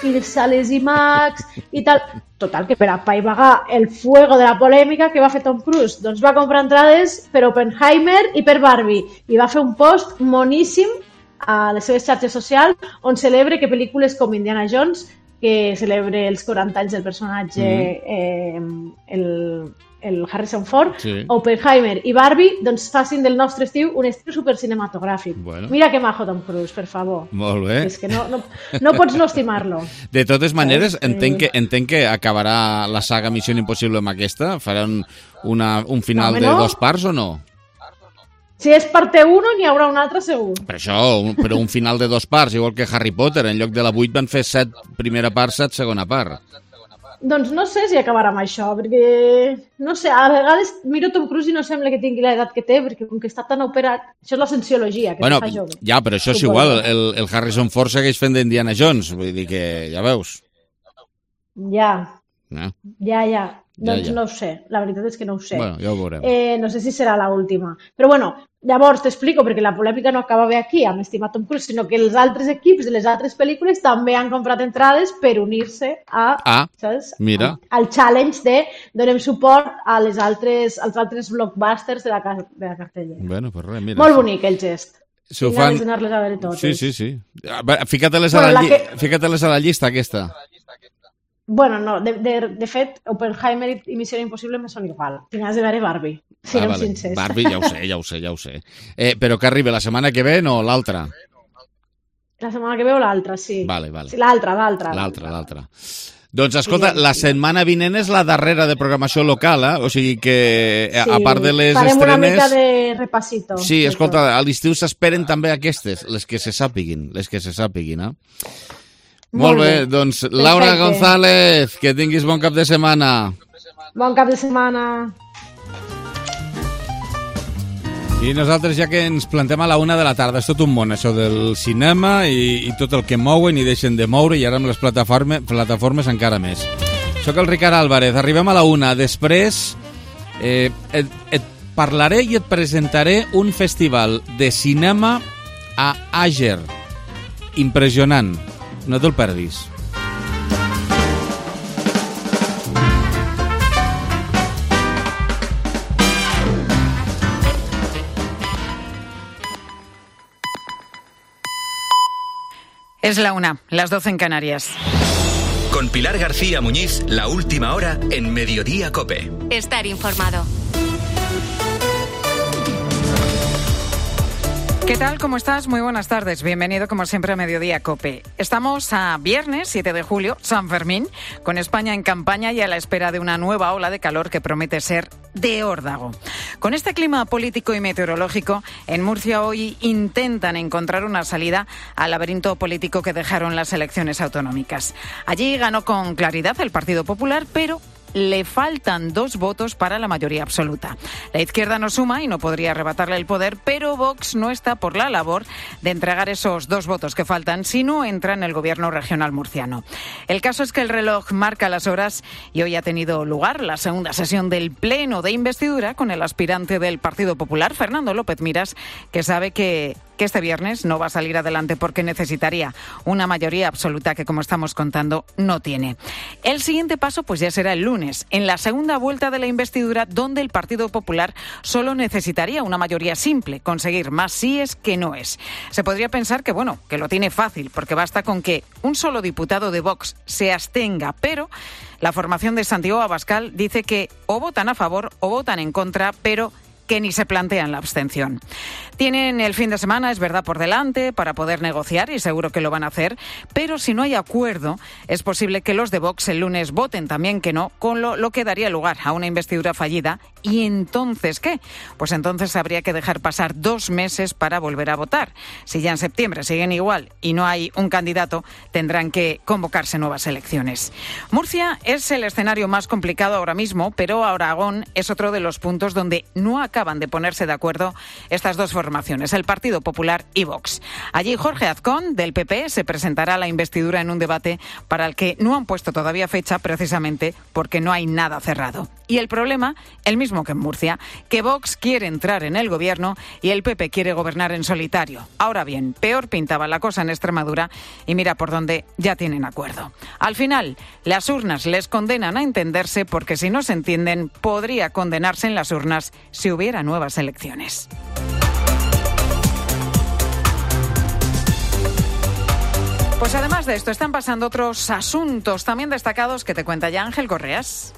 i les sales IMAX i tal. Total, que per apaivagar el fuego de la polèmica, que va fer Tom Cruise? Doncs va comprar entrades per Oppenheimer i per Barbie i va fer un post moníssim a les seves xarxes socials on celebra que pel·lícules com Indiana Jones, que celebra els 40 anys del personatge el Harrison Ford, Oppenheimer i Barbie, doncs facin del nostre estiu un estiu supercinematogràfic. Mira que majo Tom Cruise, per favor. Molt bé. És que no pots no estimar-lo. De totes maneres, entenc que acabarà la saga Missió Impossible amb aquesta? Faran un final de 2 parts o no? Si és parte 1, n'hi haurà una altra segur. Però un final de 2 parts, igual que Harry Potter, en lloc de la 8 van fer 7 primera part, 7 segona part. Doncs no sé si acabarà amb això, perquè, no sé, a vegades miro Tom Cruise i no sembla que tingui l'edat que té, perquè com que està tan operat, això és la cienciologia, que no fa jove. Ja, però això és igual, el Harrison Ford segueix fent d'Indiana Jones, vull dir que ja veus. Ja. Doncs no ho sé, la veritat és que no ho sé. Bueno, ja ho veurem. No sé si serà l'última. Però bueno, llavors t'explico, perquè la polèmica no acaba bé aquí, amb estimat Tom Cruise, sinó que els altres equips de les altres pel·lícules també han comprat entrades per unir-se al challenge de donem suport als altres blockbusters de la cartella. Bueno, pues res, mira. Molt bonic el gest. Tinc ganes d'anar-les a veure totes. Sí. Fica-te-les a la llista, aquesta. Bueno, no, de fet, Oppenheimer i Missió Impossible me són igual. Tinc de veure Barbie, siguem sincers. Barbie, ja ho sé. Però que arriba la setmana que ve, no, l'altra? La setmana que ve o l'altra, sí. Vale. Sí, l'altra. Doncs escolta, la setmana vinent és la darrera de programació local, o sigui que a part de les farem estrenes... una mica de repasito. Sí, escolta, a l'estiu s'esperen també aquestes, les que se sàpiguin, Molt bé, doncs Laura González, que tinguis bon cap de setmana. Bon cap de setmana. I nosaltres, ja que ens plantem a la 1 de la tarda, és tot un món, això del cinema i tot el que mouen i deixen de moure, i ara amb les plataformes encara més. Soc el Ricard Álvarez, arribem a la 1. Després et parlaré i et presentaré un festival de cinema a Àger. Impressionant. No te'l perdis. Es la 1, las 12 en Canarias. Con Pilar García Muñiz, la última hora en Mediodía COPE. Estar informado. ¿Qué tal? ¿Cómo estás? Muy buenas tardes. Bienvenido, como siempre, a Mediodía COPE. Estamos a viernes 7 de julio, San Fermín, con España en campaña y a la espera de una nueva ola de calor que promete ser de órdago. Con este clima político y meteorológico, en Murcia hoy intentan encontrar una salida al laberinto político que dejaron las elecciones autonómicas. Allí ganó con claridad el Partido Popular, pero le faltan 2 votos para la mayoría absoluta. La izquierda no suma y no podría arrebatarle el poder, pero Vox no está por la labor de entregar esos 2 votos que faltan si no entra en el gobierno regional murciano. El caso es que el reloj marca las horas y hoy ha tenido lugar la segunda sesión del pleno de investidura con el aspirante del Partido Popular, Fernando López Miras, que sabe que este viernes no va a salir adelante porque necesitaría una mayoría absoluta que, como estamos contando, no tiene. El siguiente paso pues ya será el lunes, en la segunda vuelta de la investidura, donde el Partido Popular solo necesitaría una mayoría simple, conseguir más síes que noes. Se podría pensar que, bueno, que lo tiene fácil, porque basta con que un solo diputado de Vox se abstenga, pero la formación de Santiago Abascal dice que o votan a favor o votan en contra, pero que ni se plantean la abstención. Tienen el fin de semana, es verdad, por delante para poder negociar y seguro que lo van a hacer, pero si no hay acuerdo, es posible que los de Vox el lunes voten también que no, con lo que daría lugar a una investidura fallida. ¿Y entonces qué? Pues entonces habría que dejar pasar 2 meses para volver a votar. Si ya en septiembre siguen igual y no hay un candidato, tendrán que convocarse nuevas elecciones. Murcia es el escenario más complicado ahora mismo, pero Aragón es otro de los puntos donde no acaban de ponerse de acuerdo estas 2 formaciones, el Partido Popular y Vox. Allí Jorge Azcón, del PP, se presentará a la investidura en un debate para el que no han puesto todavía fecha, precisamente porque no hay nada cerrado. Y el problema, el mismo que en Murcia, que Vox quiere entrar en el gobierno y el PP quiere gobernar en solitario. Ahora bien, peor pintaba la cosa en Extremadura y mira por dónde ya tienen acuerdo. Al final, las urnas les condenan a entenderse porque si no se entienden, podría condenarse en las urnas si hubiera nuevas elecciones. Pues además de esto, están pasando otros asuntos también destacados que te cuenta ya Ángel Correas.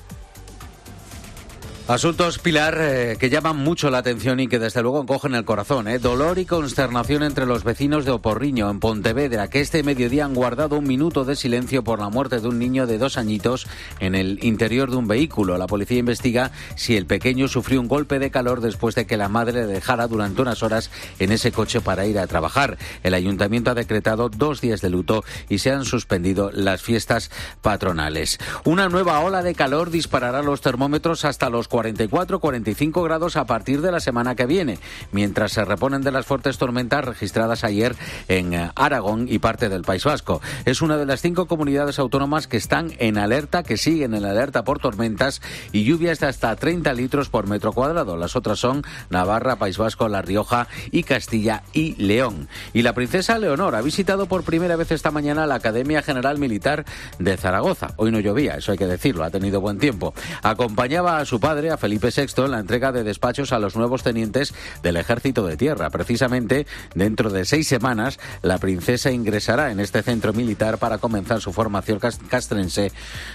Asuntos, Pilar, que llaman mucho la atención y que desde luego cogen el corazón. Dolor y consternación entre los vecinos de Oporriño, en Pontevedra, que este mediodía han guardado un minuto de silencio por la muerte de un niño de 2 añitos en el interior de un vehículo. La policía investiga si el pequeño sufrió un golpe de calor después de que la madre le dejara durante unas horas en ese coche para ir a trabajar. El ayuntamiento ha decretado 2 días de luto y se han suspendido las fiestas patronales. Una nueva ola de calor disparará los termómetros hasta los 44-45 grados a partir de la semana que viene, mientras se reponen de las fuertes tormentas registradas ayer en Aragón y parte del País Vasco. Es una de las 5 comunidades autónomas que están en alerta, que siguen en alerta por tormentas y lluvias de hasta 30 litros por metro cuadrado. Las otras son Navarra, País Vasco, La Rioja y Castilla y León. Y la princesa Leonor ha visitado por primera vez esta mañana la Academia General Militar de Zaragoza. Hoy no llovía, eso hay que decirlo, ha tenido buen tiempo. Acompañaba a su padre, a Felipe VI en la entrega de despachos a los nuevos tenientes del Ejército de Tierra. Precisamente, dentro de 6 semanas, la princesa ingresará en este centro militar para comenzar su formación castrense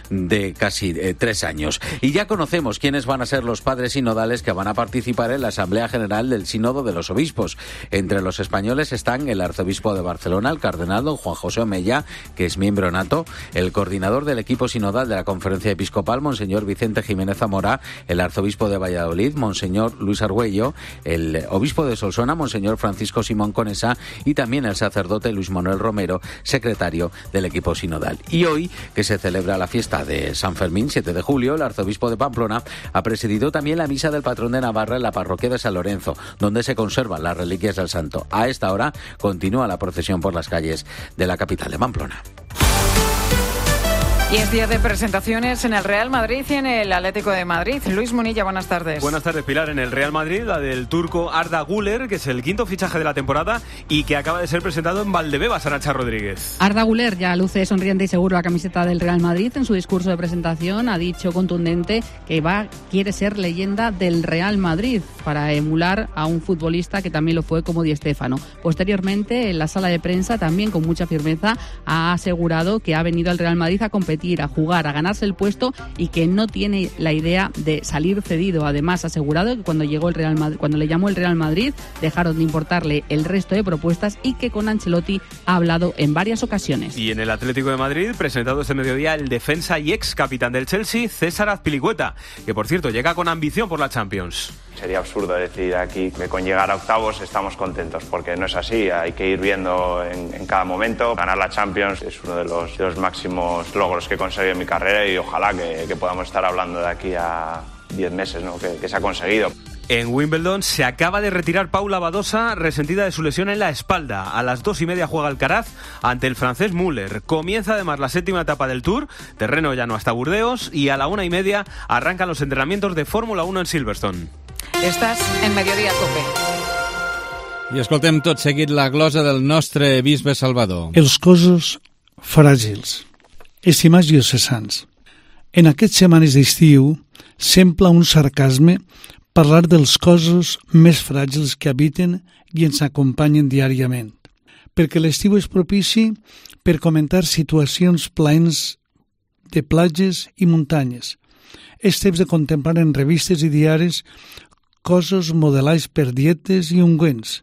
de casi 3 años. Y ya conocemos quiénes van a ser los padres sinodales que van a participar en la Asamblea General del Sínodo de los Obispos. Entre los españoles están el arzobispo de Barcelona, el cardenal don Juan José Omella, que es miembro nato, el coordinador del equipo sinodal de la Conferencia Episcopal, monseñor Vicente Jiménez Zamora, el arzobispo de Valladolid, monseñor Luis Argüello, el obispo de Solsona, monseñor Francisco Simón Conesa, y también el sacerdote Luis Manuel Romero, secretario del equipo sinodal. Y hoy, que se celebra la fiesta de San Fermín, 7 de julio, el arzobispo de Pamplona ha presidido también la misa del patrón de Navarra en la parroquia de San Lorenzo, donde se conservan las reliquias del santo. A esta hora continúa la procesión por las calles de la capital de Pamplona. Y es día de presentaciones en el Real Madrid y en el Atlético de Madrid. Luis Munilla, buenas tardes. Buenas tardes, Pilar. En el Real Madrid, la del turco Arda Güler, que es el 5º fichaje de la temporada y que acaba de ser presentado en Valdebebas, Arancha Rodríguez. Arda Güler ya luce sonriente y seguro la camiseta del Real Madrid. En su discurso de presentación ha dicho contundente que quiere ser leyenda del Real Madrid para emular a un futbolista que también lo fue como Di Stéfano. Posteriormente, en la sala de prensa, también con mucha firmeza, ha asegurado que ha venido al Real Madrid a competir, a jugar, a ganarse el puesto y que no tiene la idea de salir cedido. Además, ha asegurado que cuando le llamó el Real Madrid dejaron de importarle el resto de propuestas y que con Ancelotti ha hablado en varias ocasiones. Y en el Atlético de Madrid, presentado este mediodía el defensa y ex capitán del Chelsea, César Azpilicueta, que por cierto llega con ambición por la Champions. Sería absurdo decir aquí que con llegar a octavos estamos contentos, porque no es así. Hay que ir viendo en cada momento. Ganar la Champions es uno de los máximos logros que he conseguido en mi carrera y ojalá que podamos estar hablando de aquí a 10 meses, ¿no? que se ha conseguido. En Wimbledon se acaba de retirar Paula Badosa, resentida de su lesión en la espalda. A las 2:30 juega Alcaraz ante el francés Müller. Comienza además la 7ª etapa del Tour, terreno llano hasta Burdeos, y a la 1:30 arrancan los entrenamientos de Fórmula 1 en Silverstone. Estàs en Mediodía Cope. I escoltem tot seguit la glosa del nostre bisbe Salvador. Els cossos fràgils. Estimats diocesans, en aquestes setmanes d'estiu sembla un sarcasme parlar dels cossos més fràgils que habiten i ens acompanyen diàriament, perquè l'estiu és propici per comentar situacions plaents de platges i muntanyes. És temps de contemplar en revistes i diaris cossos modelats per dietes i ungüents.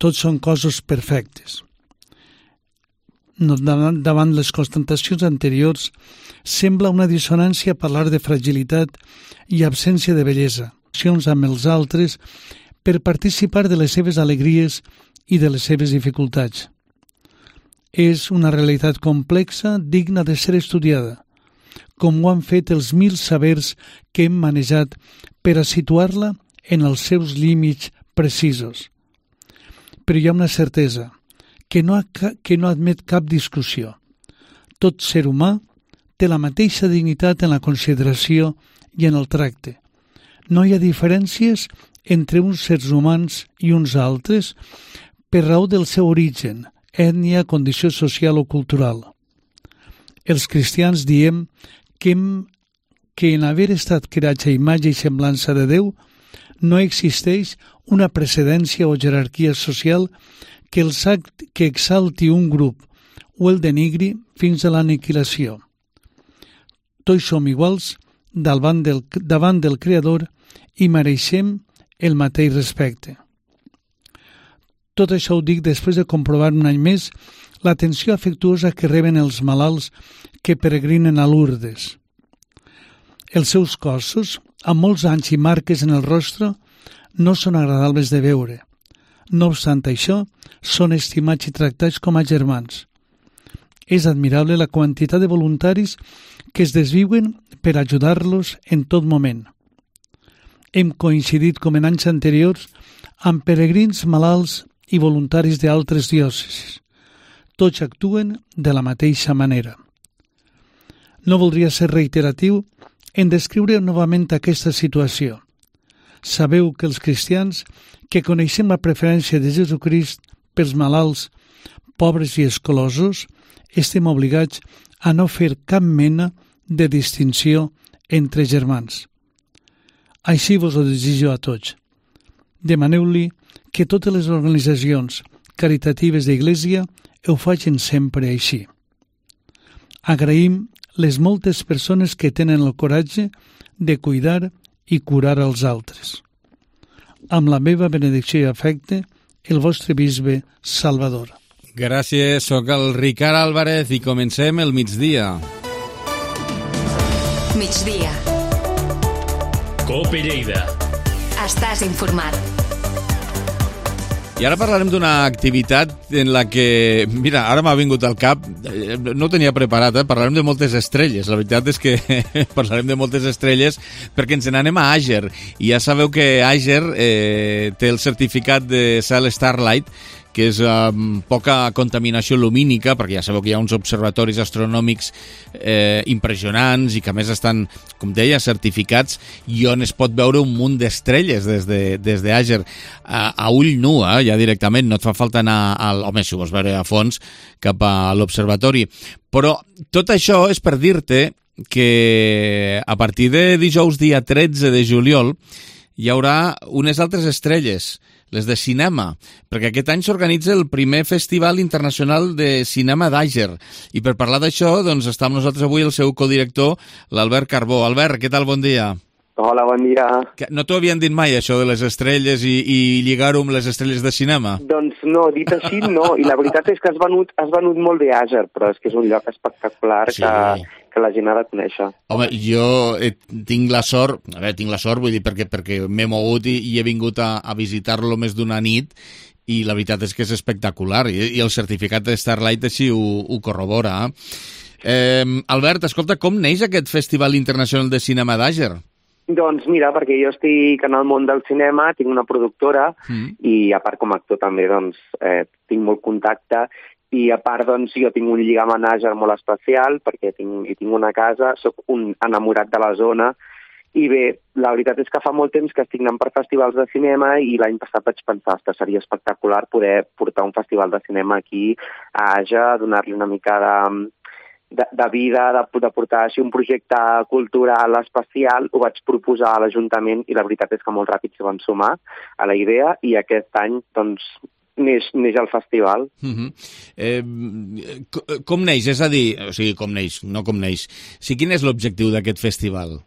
Tots són cossos perfectes. Davant les constatacions anteriors, sembla una dissonància parlar de fragilitat i absència de bellesa, amb els altres per participar de les seves alegries i de les seves dificultats. És una realitat complexa, digna de ser estudiada, com ho han fet els 1000 sabers que hem manejat per a situar-la en els seus límits precisos. Però hi ha una certesa, que no admet cap discussió. Tot ser humà té la mateixa dignitat en la consideració i en el tracte. No hi ha diferències entre uns sers humans i uns altres per raó del seu origen, ètnia, condició social o cultural. Els cristians diem que en haver estat creats a imatge i semblança de Déu no existeix una precedència o jerarquia social que exalti un grup o el denigri fins a l'aniquilació. Tots som iguals davant del Creador i mereixem el mateix respecte. Tot això ho dic després de comprovar un any més l'atenció afectuosa que reben els malalts que peregrinen a Lourdes. Els seus cossos, amb molts anys i marques en el rostre, no són agradables de veure. No obstant això, són estimats i tractats com a germans. És admirable la quantitat de voluntaris que es desviuen per ajudar-los en tot moment. Hem coincidit, com en anys anteriors, amb peregrins malalts i voluntaris d'altres diòcesis. Tots actuen de la mateixa manera. No voldria ser reiteratiu en descriure novament aquesta situació. Sabeu que els cristians que coneixem la preferència de Jesucrist pels malalts, pobres i exclosos, estem obligats a no fer cap mena de distinció entre germans. Així vos ho desitjo a tots. Demaneu-li que totes les organitzacions caritatives d'Església ho facin sempre així. Agraïm les moltes persones que tenen el coratge de cuidar i curar els altres. Amb la meva benedicció i afecte, el vostre bisbe Salvador. Gràcies, sóc el Ricard Álvarez i comencem el migdia. Migdia. COPE Lleida. Estàs informat. I ara parlarem d'una activitat en la que, mira, ara m'ha vingut al cap, no ho tenia preparat, parlarem de moltes estrelles. La veritat és que parlarem de moltes estrelles perquè ens n'anem a Àger. I ja sabeu que Àger té el certificat de cel Starlight, que és poca contaminació lumínica, perquè ja sabeu que hi ha uns observatoris astronòmics impressionants i que a més estan, com deia, certificats i on es pot veure un munt d'estrelles des d'Àger a ull nu, ja directament, no et fa falta anar home, si ho vols veure a fons, cap a l'observatori. Però tot això és per dir-te que a partir de dijous dia 13 de juliol hi haurà unes altres estrelles, les de cinema, perquè aquest any s'organitza el primer Festival Internacional de Cinema d'Àger. I per parlar d'això, doncs està amb nosaltres avui el seu codirector, l'Albert Carbó. Albert, què tal? Bon dia. Hola, bon dia. No t'ho havien dit mai, això de les estrelles i lligar-ho amb les estrelles de cinema? Doncs no, dit així no, i la veritat és que has venut molt bé Àger, però és que és un lloc espectacular que la gent ha de conèixer. Home, jo tinc la sort, vull dir, perquè m'he mogut i he vingut a visitar-lo més d'una nit, i la veritat és que és espectacular, i el certificat de Starlight així ho corrobora. Albert, escolta, com neix aquest Festival Internacional de Cinema d'Àger? Doncs mira, perquè jo estic en el món del cinema, tinc una productora i a part com a actor també doncs, tinc molt contacte i a part doncs, jo tinc un lligam a Àger molt especial perquè tinc una casa, sóc un enamorat de la zona i bé, la veritat és que fa molt temps que estic anant per festivals de cinema i l'any passat vaig pensar que seria espectacular poder portar un festival de cinema aquí a Àger, donar-li una mica de vida, de portar així un projecte cultural especial. Ho vaig proposar a l'Ajuntament i la veritat és que molt ràpid s'hi van sumar a la idea i aquest any doncs neix el festival. Com neix? És a dir, o sigui, com neix, no com neix. Sí, quin és l'objectiu d'aquest festival?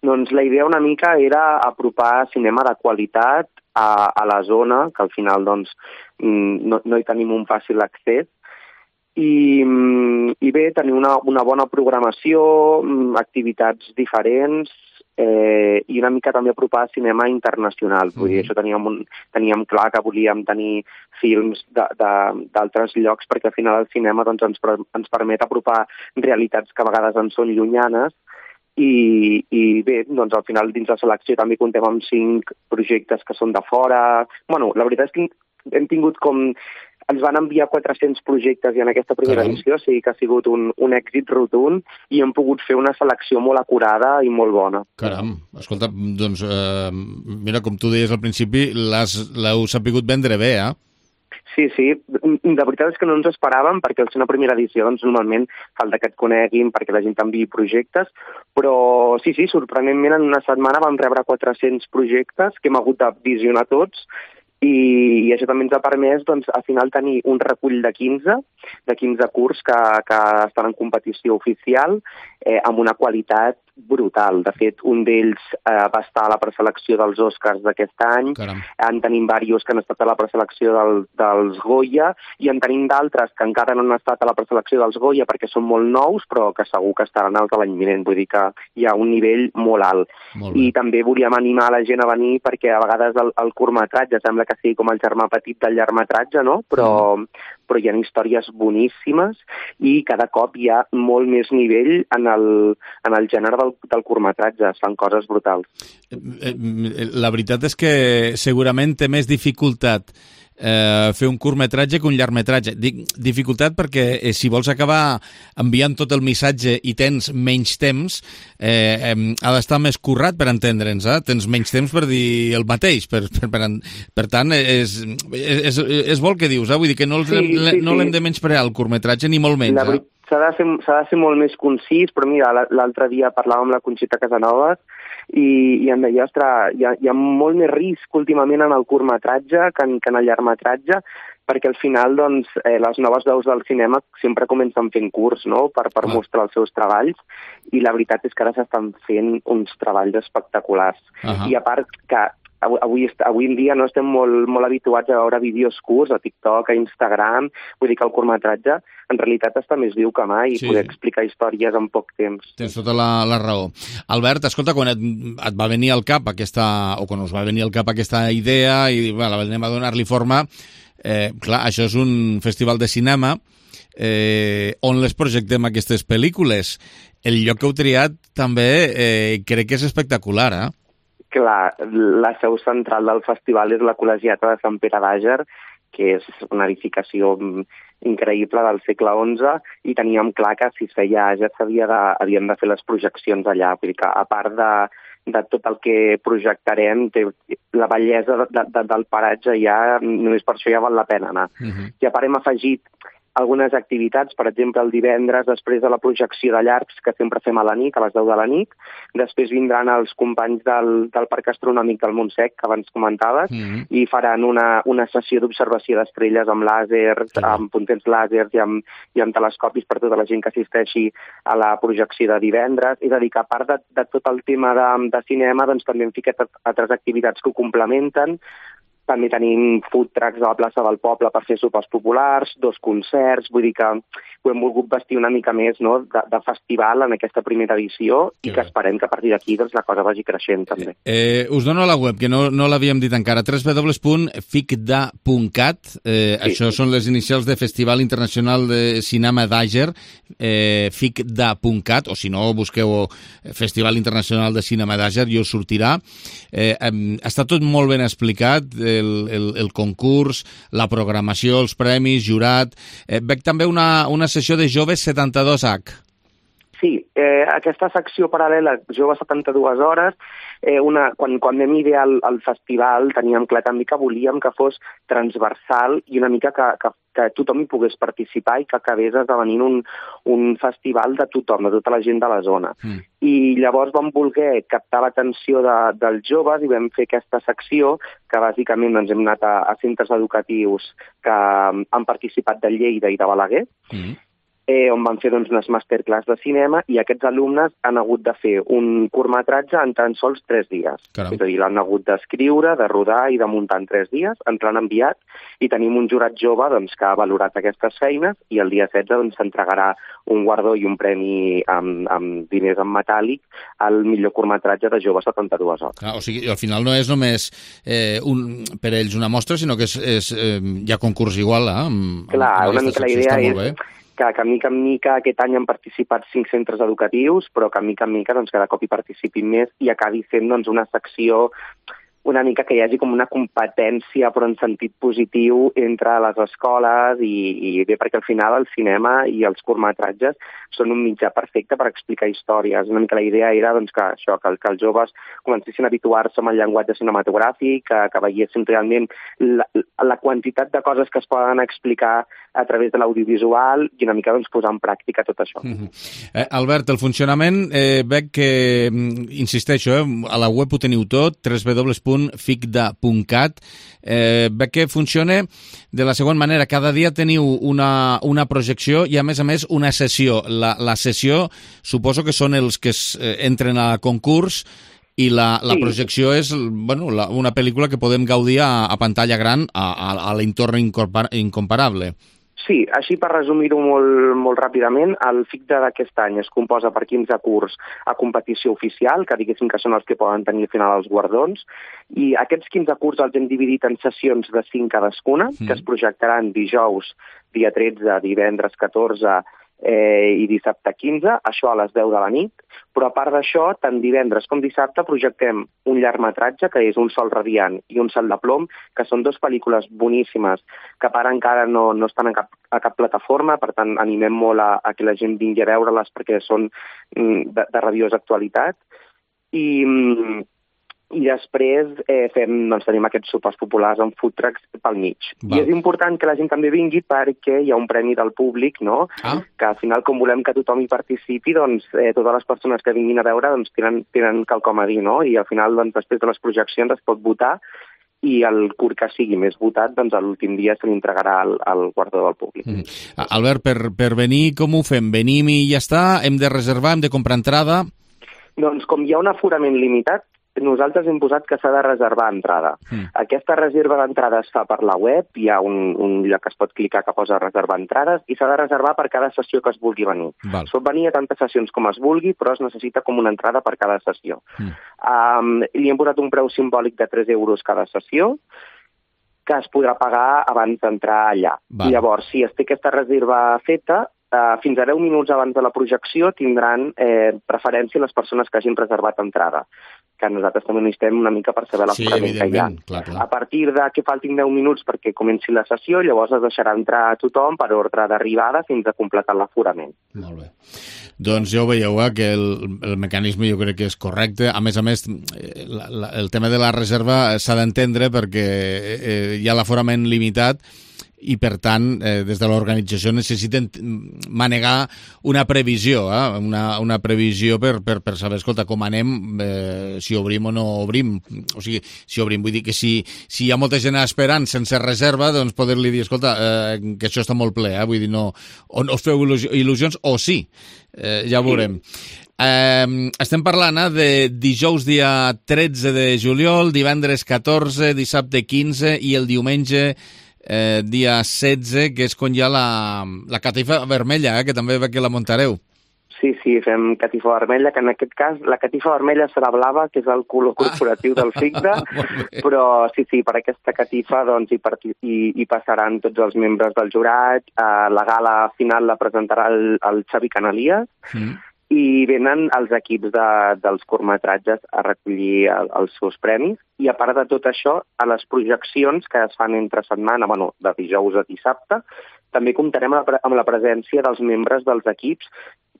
Doncs la idea una mica era apropar cinema de qualitat a la zona, que al final doncs, no hi tenim un fàcil accés, i bé, tenir una bona programació, activitats diferents i una mica també apropar cinema internacional. Vull dir, això teníem clar que volíem tenir films d'altres llocs perquè al final el cinema doncs, ens permet apropar realitats que a vegades ens són llunyanes i bé, doncs al final dins la selecció també comptem amb 5 projectes que són de fora. Bueno, la veritat és que hem tingut com... Ens van enviar 400 projectes i en aquesta primera edició, o sigui que ha sigut un èxit rotund i hem pogut fer una selecció molt acurada i molt bona. Caram, escolta, doncs mira, com tu deies al principi, l'heu sapigut vendre bé, Sí, de veritat és que no ens esperàvem perquè al ser una primera edició doncs normalment falta que et coneguin perquè la gent t'enviï projectes, però sí, sorprenentment en una setmana vam rebre 400 projectes que hem hagut de visionar tots i això també ens ha permès doncs, al final tenir un recull de 15 curts que estan en competició oficial amb una qualitat brutal. De fet, un d'ells va estar a la preselecció dels Oscars d'aquest any. Caram. En tenim diversos que han estat a la preselecció dels Goya i en tenim d'altres que encara no han estat a la preselecció dels Goya perquè són molt nous, però que segur que estaran els de l'any vinent. Vull dir que hi ha un nivell molt alt. I també volíem animar la gent a venir perquè a vegades el curtmetratge sembla que sigui com el germà petit del llargmetratge, no? Però hi ha històries boníssimes i cada cop hi ha molt més nivell en el gènere del curtmetratge. Es fan coses brutals. La veritat és que segurament té més dificultat fer un curtmetratge que un llargmetratge. Dic dificultat perquè si vols acabar enviant tot el missatge i tens menys temps, ha d'estar més currat per entendre'ns, tens menys temps per dir el mateix. Per tant, és bo el que dius, vull dir que no l'hem de menysprear el curtmetratge ni molt menys. S'ha de ser molt més concís, però mira, l'altre dia parlàvem amb la Conxita Casanovas i em deia, ostres, hi ha molt més risc últimament en el curtmetratge que en el llargmetratge, perquè al final doncs, les noves veus del cinema sempre comencen fent curts, no?, per mostrar els seus treballs, i la veritat és que ara s'estan fent uns treballs espectaculars. I a part que avui en dia no estem molt habituats a veure vídeos curts a TikTok, a Instagram, vull dir que el curtmetratge en realitat està més viu que mai i poder explicar històries en poc temps. Tens tota la raó. Albert, escolta, quan et va venir al cap aquesta, o quan us va venir al cap aquesta idea i anem a donar-li forma, clar, això és un festival de cinema on les projectem aquestes pel·lícules. El lloc que heu triat també crec que és espectacular, eh? Clar, la seu central del festival és la Col·legiata de Sant Pere d'Àger, que és una edificació increïble del segle XI, i teníem clar que si es feia Àger havíem de fer les projeccions allà. Vull dir que a part de tot el que projectarem, la bellesa del paratge ja, només per això ja val la pena anar. I a part hem afegit algunes activitats, per exemple, el divendres, després de la projecció de llargs, que sempre fem a la nit, a les 10 de la nit. Després vindran els companys del Parc Astronòmic del Montsec, que abans comentaves, i faran una sessió d'observació d'estrelles amb làsers, amb puntets làsers i amb telescopis per tota la gent que assisteixi a la projecció de divendres. És a dir, que a part de tot el tema de cinema, doncs també hem ficat altres activitats que ho complementen. També tenim food trucks a la plaça del poble per fer sopars populars, 2 concerts, vull dir que ho hem volgut vestir una mica més, no?, de festival en aquesta primera edició i que esperem que a partir d'aquí doncs, la cosa vagi creixent també. Us dono la web, que no l'havíem dit encara, www.ficda.cat, això són les inicials de Festival Internacional de Cinema d'Àger, ficda.cat, o si no, busqueu Festival Internacional de Cinema d'Àger i us sortirà. Està tot molt ben explicat, el concurs, la programació, els premis, jurat. Veig també una sessió de Joves 72H. Sí, aquesta secció paral·lela, Joves 72 hores, quan vam idear el festival teníem clar també que volíem que fos transversal i una mica que tothom hi pogués participar i que acabés esdevenint un festival de tothom, de tota la gent de la zona. I llavors vam voler captar l'atenció dels joves i vam fer aquesta secció que bàsicament doncs, hem anat a centres educatius que han participat de Lleida i de Balaguer, on van fer doncs, unes masterclass de cinema i aquests alumnes han hagut de fer un curtmetratge en tan sols 3 dies. És a dir, l'han hagut d'escriure, de rodar i de muntar en 3 dies, ens l'han enviat i tenim un jurat jove doncs, que ha valorat aquestes feines i el dia 16 doncs, s'entregarà un guardó i un premi amb diners en metàl·lic al millor curtmetratge de Joves 72 hores. O sigui, al final no és només per ells una mostra, sinó que hi ha concurs igual. Clar, una mica la idea és que mica en mica aquest any han participat 5 centres educatius, però que mica en mica doncs, cada cop hi participin més i acabi sent doncs, una secció una mica que hi hagi com una competència però en sentit positiu entre les escoles i bé perquè al final el cinema i els curtmetratges són un mitjà perfecte per explicar històries. Una mica la idea era doncs, que els joves comencessin a habituar-se amb el llenguatge cinematogràfic, que veiessin realment la quantitat de coses que es poden explicar a través de l'audiovisual i una mica doncs, posar en pràctica tot això. Albert, el funcionament veig que, insisteixo, a la web ho teniu tot, www.ficda.cat. Veig que funciona de la següent manera. Cada dia teniu una projecció i, a més, una sessió. La sessió suposo que són els que entren a concurs i la projecció és una pel·lícula que podem gaudir a pantalla gran a l'entorn incomparable. Sí, així per resumir-ho molt ràpidament, el FICDA d'aquest any es composa per 15 curts a competició oficial, que diguéssim que són els que poden tenir al final els guardons, i aquests 15 curts els hem dividit en sessions de 5 cadascuna, que es projectaran dijous, dia 13, divendres 14 i dissabte 15, això a les 10 de la nit, però a part d'això, tant divendres com dissabte projectem un llargmetratge, que és Un sol radiant i Un cel de plom, que són 2 pel·lícules boníssimes, que per encara no estan a cap plataforma, per tant animem molt a que la gent vingui a veure-les perquè són de rabiosa actualitat. I i després tenim aquests sopars populars amb food trucks pel mig. I és important que la gent també vingui perquè hi ha un premi del públic, no? Que al final, com volem que tothom hi participi, doncs totes les persones que vinguin a veure doncs, tenen quelcom a dir, no? I al final, doncs, després de les projeccions es pot votar i el curt que sigui més votat, doncs a l'últim dia se li entregarà al guardó del públic. Albert, per venir, com ho fem? Venim i ja està? Hem de reservar? Hem de comprar entrada? Doncs com hi ha un aforament limitat, nosaltres hem posat que s'ha de reservar entrada. Aquesta reserva d'entrada es fa per la web, hi ha un lloc que es pot clicar que posa reservar entrades i s'ha de reservar per cada sessió que es vulgui venir. Es pot venir a tantes sessions com es vulgui, però es necessita com una entrada per cada sessió. Li hem posat un preu simbòlic de 3 euros cada sessió, que es podrà pagar abans d'entrar allà. Llavors, si es té aquesta reserva feta, fins a 10 minuts abans de la projecció tindran preferència les persones que hagin reservat entrada, que nosaltres també necessitem una mica per saber l'aforament que hi ha. Clar. A partir de que faltin 10 minuts perquè comenci la sessió, llavors es deixarà entrar a tothom per ordre d'arribada fins a completar l'aforament. Molt bé. Doncs ja ho veieu, que el mecanisme jo crec que és correcte. A més, el tema de la reserva s'ha d'entendre perquè hi ha l'aforament limitat i, per tant, des de l'organització necessiten manegar una previsió, una previsió per saber, escolta, com anem, si obrim o no obrim. O sigui, si obrim, vull dir que si hi ha molta gent esperant sense reserva, doncs poder-li dir, escolta, que això està molt ple, vull dir, no us feu il·lusions, o sí, ja ho veurem. Estem parlant de dijous dia 13 de juliol, divendres 14, dissabte 15 i el diumenge dia 16, que és quan hi ha la catifa vermella, que també ve que la muntareu. Sí, fem catifa vermella, que en aquest cas la catifa vermella serà blava, que és el color corporatiu del FICDA, però sí, per aquesta catifa doncs, hi passaran tots els membres del jurat, la gala final la presentarà el Xavi Canalies, i venen els equips dels curtmetratges a recollir els seus premis. I a part de tot això, a les projeccions que es fan entre setmana, de dijous a dissabte, també comptarem amb la presència dels membres dels equips,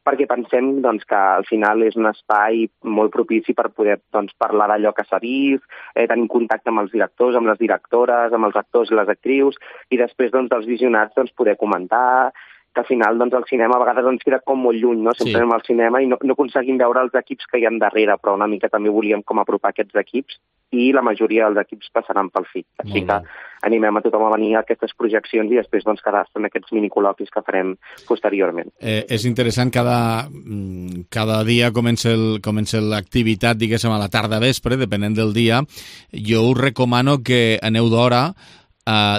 perquè pensem que al final és un espai molt propici per poder parlar d'allò que s'ha vist, tenir contacte amb els directors, amb les directores, amb els actors i les actrius, i després dels visionats poder comentar, que al final el cinema a vegades ens queda com molt lluny, no? Sempre anem al cinema i no aconseguim veure els equips que hi ha darrere, però una mica també volíem com apropar aquests equips i la majoria dels equips passaran pel FIC. Així que animem a tothom a venir a aquestes projeccions i després quedar-se en aquests minicol·loquis que farem posteriorment. És interessant, cada dia comença l'activitat, diguéssim, a la tarda vespre, depenent del dia. Jo us recomano que aneu d'hora,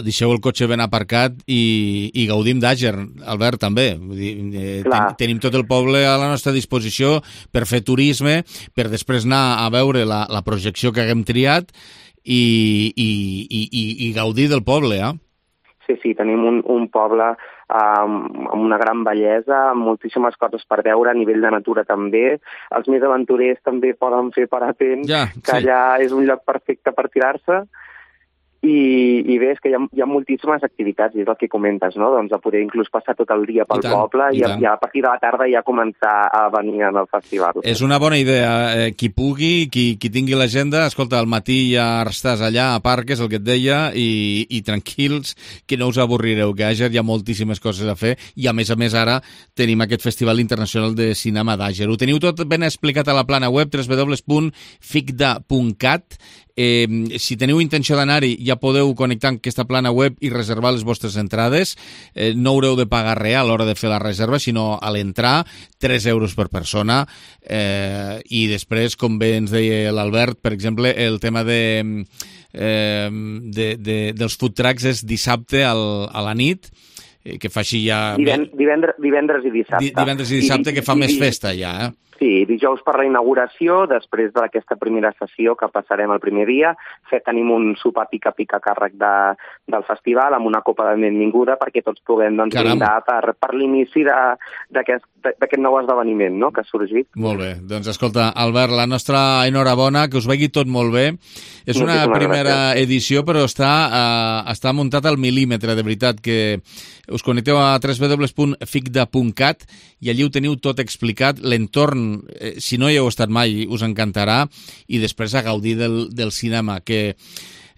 deixeu el cotxe ben aparcat i gaudim d'Àger, Albert, també. Tenim tot el poble a la nostra disposició per fer turisme, per després anar a veure la projecció que haguem triat i gaudir del poble, Sí, tenim un poble amb una gran bellesa, amb moltíssimes coses per veure, a nivell de natura també. Els més aventurers també poden fer parapent, que allà és un lloc perfecte per tirar-se. I bé, és que hi ha moltíssimes activitats, i és el que comentes, no? Doncs a poder inclús passar tot el dia pel poble i a partir de la tarda ja començar a venir al festival. És una bona idea. Qui pugui, qui tingui l'agenda, escolta, al matí ja estàs allà a Parques, el que et deia, i tranquils, que no us avorrireu, que a Àger hi ha moltíssimes coses a fer, i a més ara tenim aquest Festival Internacional de Cinema d'Àger. Ho teniu tot ben explicat a la plana web www.ficda.cat. Si teniu intenció d'anar-hi, ja podeu connectar amb aquesta plana web i reservar les vostres entrades. No haureu de pagar res a l'hora de fer la reserva, sinó a l'entrar, 3 euros per persona. I després, com bé ens deia l'Albert, per exemple, el tema dels food trucks és dissabte a la nit, que fa així ja... Divendres i dissabte. Divendres i dissabte, que fa més festa ja, Sí, dijous per la inauguració, després d'aquesta primera sessió que passarem el primer dia, tenim un sopar pica-pica a càrrec del festival amb una copa de benvinguda perquè tots puguem brindar per l'inici d'aquest nou esdeveniment, no?, que ha sorgit. Molt bé. Doncs escolta, Albert, la nostra enhorabona, que us vegi tot molt bé. És una primera edició, però està muntat al mil·límetre, de veritat, que us connecteu a www.ficda.cat i allí ho teniu tot explicat, l'entorn si no hi heu estat mai, us encantarà, i després a gaudir del cinema, que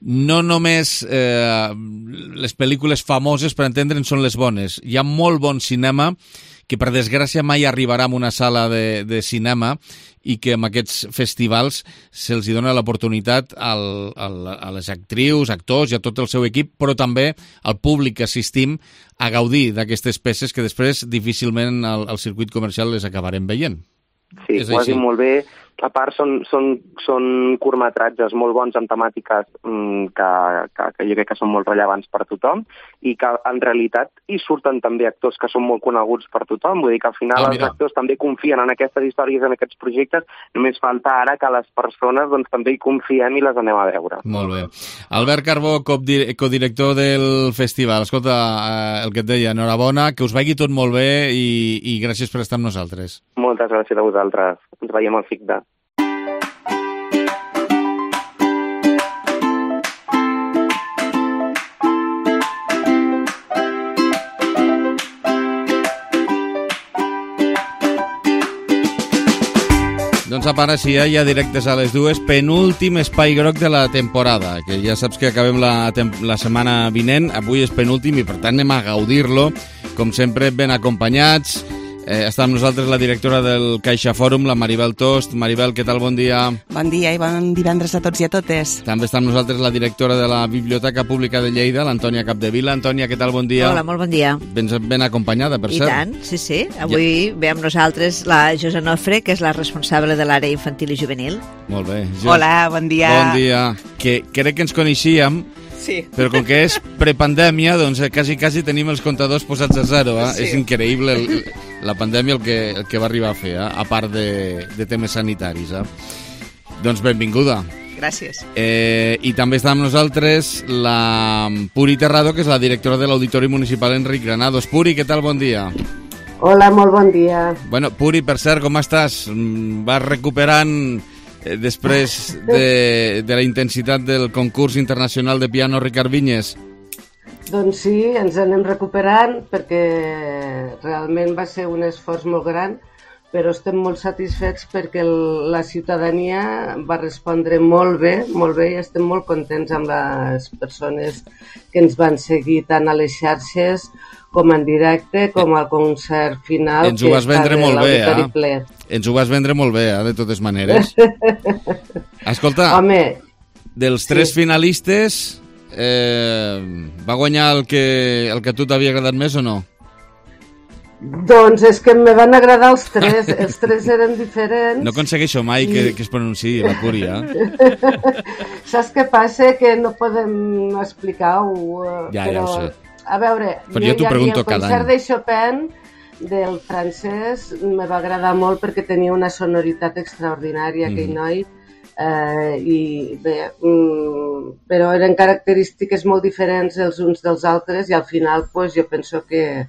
no només les pel·lícules famoses, per entendre'n, són les bones. Hi ha molt bon cinema que per desgràcia mai arribarà a una sala de cinema i que en aquests festivals se'ls dona l'oportunitat a les actrius, actors i a tot el seu equip, però també al públic que assistim a gaudir d'aquestes peces que després difícilment al circuit comercial les acabarem veient. Sí, ho has dit molt bé. A part, són curtmetratges molt bons amb temàtiques que jo crec que són molt rellevants per tothom i que en realitat hi surten també actors que són molt coneguts per tothom. Vull dir que al final els actors també confien en aquestes històries, en aquests projectes. Només falta ara que les persones doncs, també hi confiem i les anem a veure. Molt bé. Albert Carbó, codirector del festival. Escolta, el que et deia, enhorabona, que us vagi tot molt bé i gràcies per estar amb nosaltres. Moltes gràcies a vosaltres. Ens veiem al FICDA. Doncs ara sí, ja directes a les 2, penúltim espai groc de la temporada, que ja saps que acabem la setmana vinent, avui és penúltim i per tant anem a gaudir-lo, com sempre ben acompanyats. Està amb nosaltres la directora del Caixa Fòrum, la Maribel Tost. Maribel, què tal? Bon dia. Bon dia i bon divendres a tots i a totes. També està amb nosaltres la directora de la Biblioteca Pública de Lleida, l'Antònia Capdevila. Antònia, què tal? Bon dia. Hola, molt bon dia. Ben acompanyada, per cert. I tant, sí. Avui ve amb nosaltres la Josa Nofre, que és la responsable de l'àrea infantil i juvenil. Molt bé. Hola, bon dia. Bon dia. Que crec que ens coneixíem, sí. Però com que és prepandèmia, doncs quasi tenim els comptadors posats a zero. Sí. És increïble la pandèmia el que va arribar a fer, a part de temes sanitaris. Doncs benvinguda. Gràcies. I també està amb nosaltres la Puri Terrado, que és la directora de l'Auditori Municipal Enric Granados. Puri, què tal? Bon dia. Hola, molt bon dia. Bueno, Puri, per cert, com estàs? Vas recuperant després de la intensitat del concurs internacional de piano Ricard Vinyes? Doncs sí, ens anem recuperant perquè realment va ser un esforç molt gran, però estem molt satisfets perquè la ciutadania va respondre molt bé i estem molt contents amb les persones que ens van seguir tant a les xarxes com en directe, com al concert final. Ens ho vas vendre molt bé, Ens ho vas vendre molt bé, de totes maneres. Escolta, home, dels tres finalistes, va guanyar el que a tu t'havia agradat més o no? Doncs és que me van agradar els tres eren diferents. No aconsegueixo mai que es pronunciï la Púria. Saps què passa? Que no podem explicar-ho. Ja ho sé. A veure, jo t'ho pregunto cada any. El concert de Chopin del francès me va agradar molt perquè tenia una sonoritat extraordinària, aquell noi, i bé, però eren característiques molt diferents els uns dels altres i al final pues, jo penso que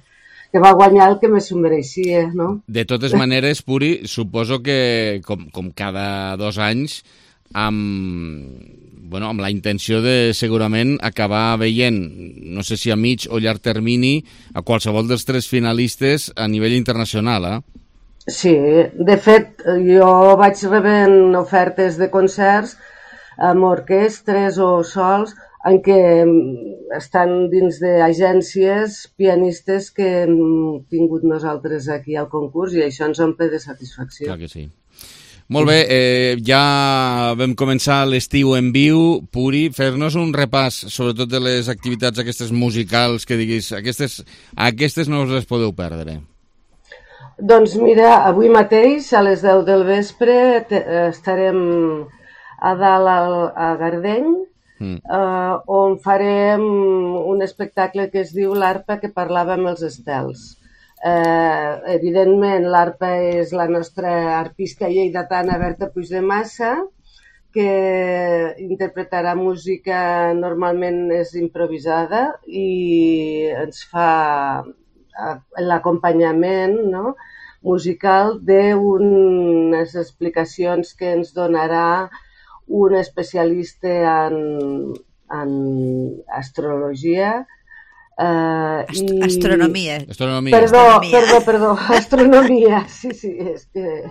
va guanyar el que més s'ho mereixia, no? De totes maneres, Puri, suposo que com cada 2 anys amb la intenció de segurament acabar veient, no sé si a mig o llarg termini, a qualsevol dels tres finalistes a nivell internacional, Sí, de fet, jo vaig rebent ofertes de concerts amb orquestres o sols en què estan dins d'agències pianistes que hem tingut nosaltres aquí al concurs i això ens omple de satisfacció. Clar que sí. Molt bé, ja vam començar l'estiu en viu. Puri, fer-nos un repàs, sobretot de les activitats aquestes musicals, que diguis, aquestes no us les podeu perdre. Doncs mira, avui mateix, a les 10 del vespre, estarem a dalt a Gardeny, on farem un espectacle que es diu l'Arpa que parlava amb els estels. Evidentment l'Arpa és la nostra artista lleidatana Berta Puigdemassa, que interpretarà música normalment és improvisada i ens fa l'acompanyament musical d'unes explicacions que ens donarà un especialista en astrologia Astronomia. Perdó, astronomia, sí, és que...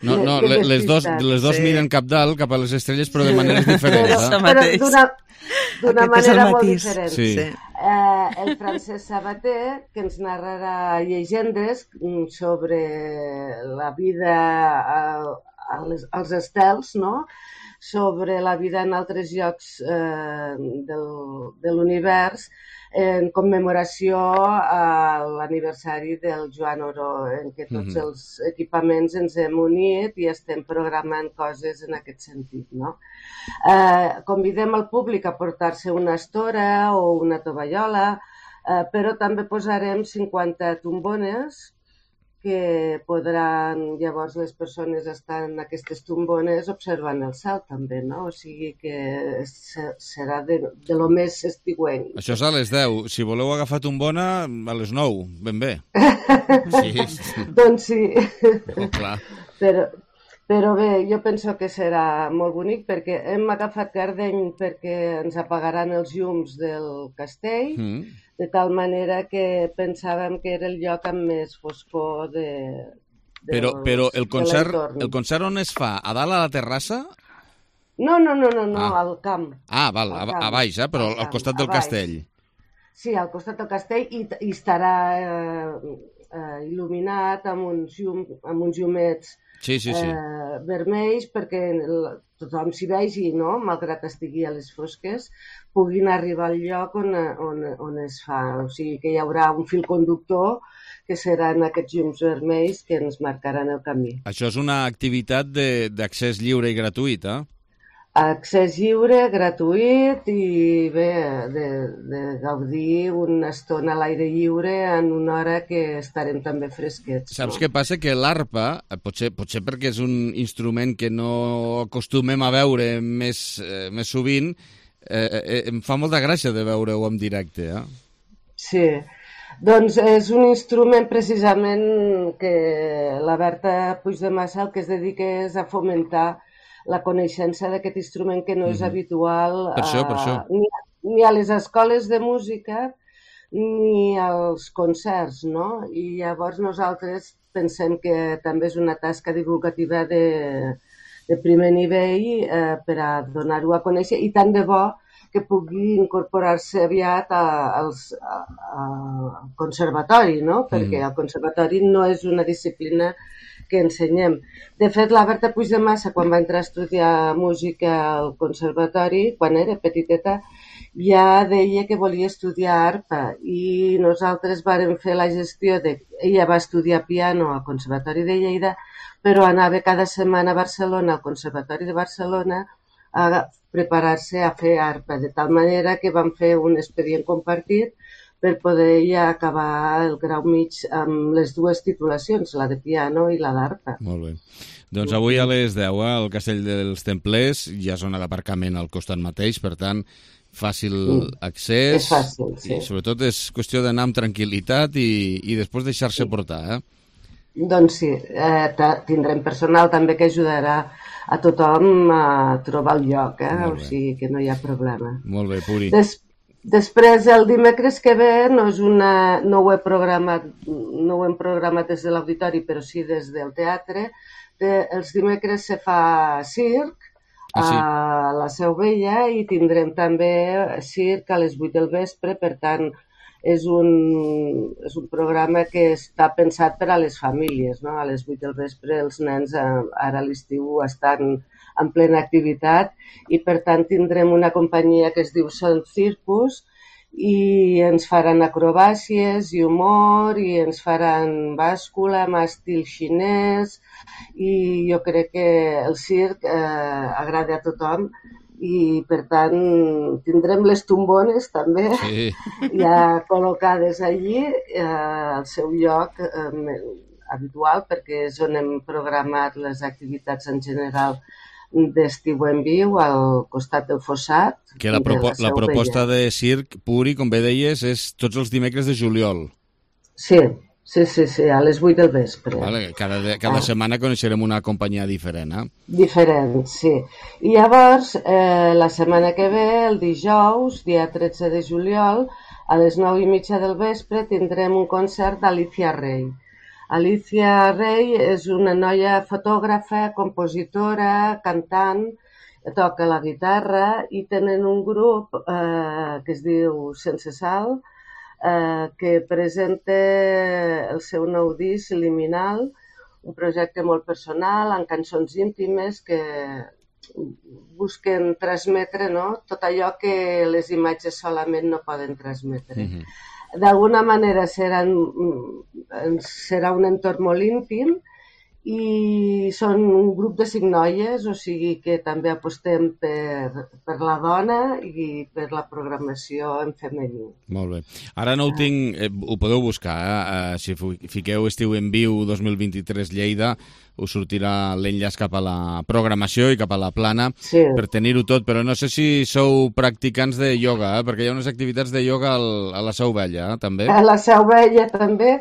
No, les dos miren cap dalt, cap a les estrelles, però de maneres diferents. Però d'una manera molt diferent. Sí. El Francesc Sabater, que ens narrarà llegendes sobre la vida als estels, no? Sobre la vida en altres llocs de l'univers, en commemoració a l'aniversari del Joan Oró, en què tots els equipaments ens hem unit i estem programant coses en aquest sentit, no? Convidem al públic a portar-se una estora o una tovallola, però també posarem 50 tombones que podran llavors les persones estar en aquestes tombones observant el cel també, no? O sigui que serà de lo més estiuenc. Això és a les 10. Si voleu agafar tombona, a les 9, ben bé. Sí. Doncs sí. Oh, clar. Però bé, jo penso que serà molt bonic perquè hem agafat Gardeny perquè ens apagaran els llums del castell, de tal manera que pensàvem que era el lloc amb més foscor Però el concert on es fa? A dalt a la terrassa? No, al camp. Ah, val, a baix, però al costat del castell. Sí, al costat del castell i estarà il·luminat amb uns llumets vermells perquè tothom s'hi vegi, no? Malgrat estigui a les fosques, puguin arribar al lloc on es fa. O sigui que hi haurà un fil conductor que seran aquests llums vermells que ens marcaran el camí. Això és una activitat d'accés lliure i gratuït, eh? Accés lliure, gratuït i bé, de gaudir una estona a l'aire lliure en una hora que estarem també fresquets. Saps què passa? Que l'arpa, potser perquè és un instrument que no acostumem a veure més sovint, em fa molta gràcia de veure-ho en directe, eh? Sí, doncs és un instrument precisament que la Berta Puigdemassa el que es dedica és a fomentar la coneixença d'aquest instrument que no és habitual per això. Ni a les escoles de música ni als concerts, no? I llavors nosaltres pensem que també és una tasca divulgativa de primer nivell per a donar-ho a conèixer i tant de bo que pugui incorporar-se aviat al conservatori, no? Perquè el conservatori no és una disciplina que ensenyem. De fet, la Berta Puigdemassa, quan va entrar a estudiar música al conservatori, quan era petiteta, ja deia que volia estudiar arpa i nosaltres vàrem fer la gestió de... Ella va estudiar piano al Conservatori de Lleida, però anava cada setmana a Barcelona, al Conservatori de Barcelona, a preparar-se a fer arpa, de tal manera que vam fer un expedient compartit per poder ja acabar el grau mig amb les dues titulacions, la de piano i la d'arpa. Molt bé. Doncs avui a les 10 al Castell dels Templers hi ha zona d'aparcament al costat mateix, per tant, fàcil accés. És fàcil, sí. I sobretot és qüestió d'anar amb tranquil·litat i després deixar-se portar, eh? Doncs sí, tindrem personal també que ajudarà a tothom a trobar el lloc, o sigui que no hi ha problema. Molt bé, Puri. Després, el dimecres que ve, no ho hem programat des de l'auditori, però sí des del teatre. Els dimecres se fa circ a la Seu Vella i tindrem també circ a les 8 del vespre, per tant, és un programa que està pensat per a les famílies, no? A les 8 del vespre els nens ara a l'estiu estan en plena activitat i per tant tindrem una companyia que es diu Son Circus i ens faran acrobàcies i humor i ens faran bàscula amb estil xinès i jo crec que el circ agrada a tothom i per tant tindrem les tombones també ja col·locades allí al seu lloc habitual perquè és on hem programat les activitats en general d'estiu en viu al costat del Fossat. Que la proposta de circ, Puri, com bé deies, és tots els dimecres de juliol. Sí, a les 8 del vespre. Vale, cada setmana coneixerem una companyia diferent, eh? Diferent, sí. I llavors, la setmana que ve, el dijous, dia 13 de juliol, A les 9:30 del vespre tindrem un concert d'Alicia Rey. Alicia Rey és una noia fotògrafa, compositora, cantant, toca la guitarra i tenen un grup que es diu Sense Sal, que presenta el seu nou disc, Liminal, un projecte molt personal, amb cançons íntimes que busquen transmetre, no? Tot allò que les imatges solament no poden transmetre. D'alguna manera serà un entorn molt íntim i són un grup de 5 noies, o sigui que també apostem per la dona i per la programació en femení. Molt bé. Ara no ho tinc, ho podeu buscar, si fiqueu Estiu en Viu 2023 Lleida, us sortirà l'enllaç cap a la programació i cap a la plana per tenir-ho tot, però no sé si sou practicants de ioga, perquè hi ha unes activitats de ioga a la Seu Vella, també. A la Seu Vella també.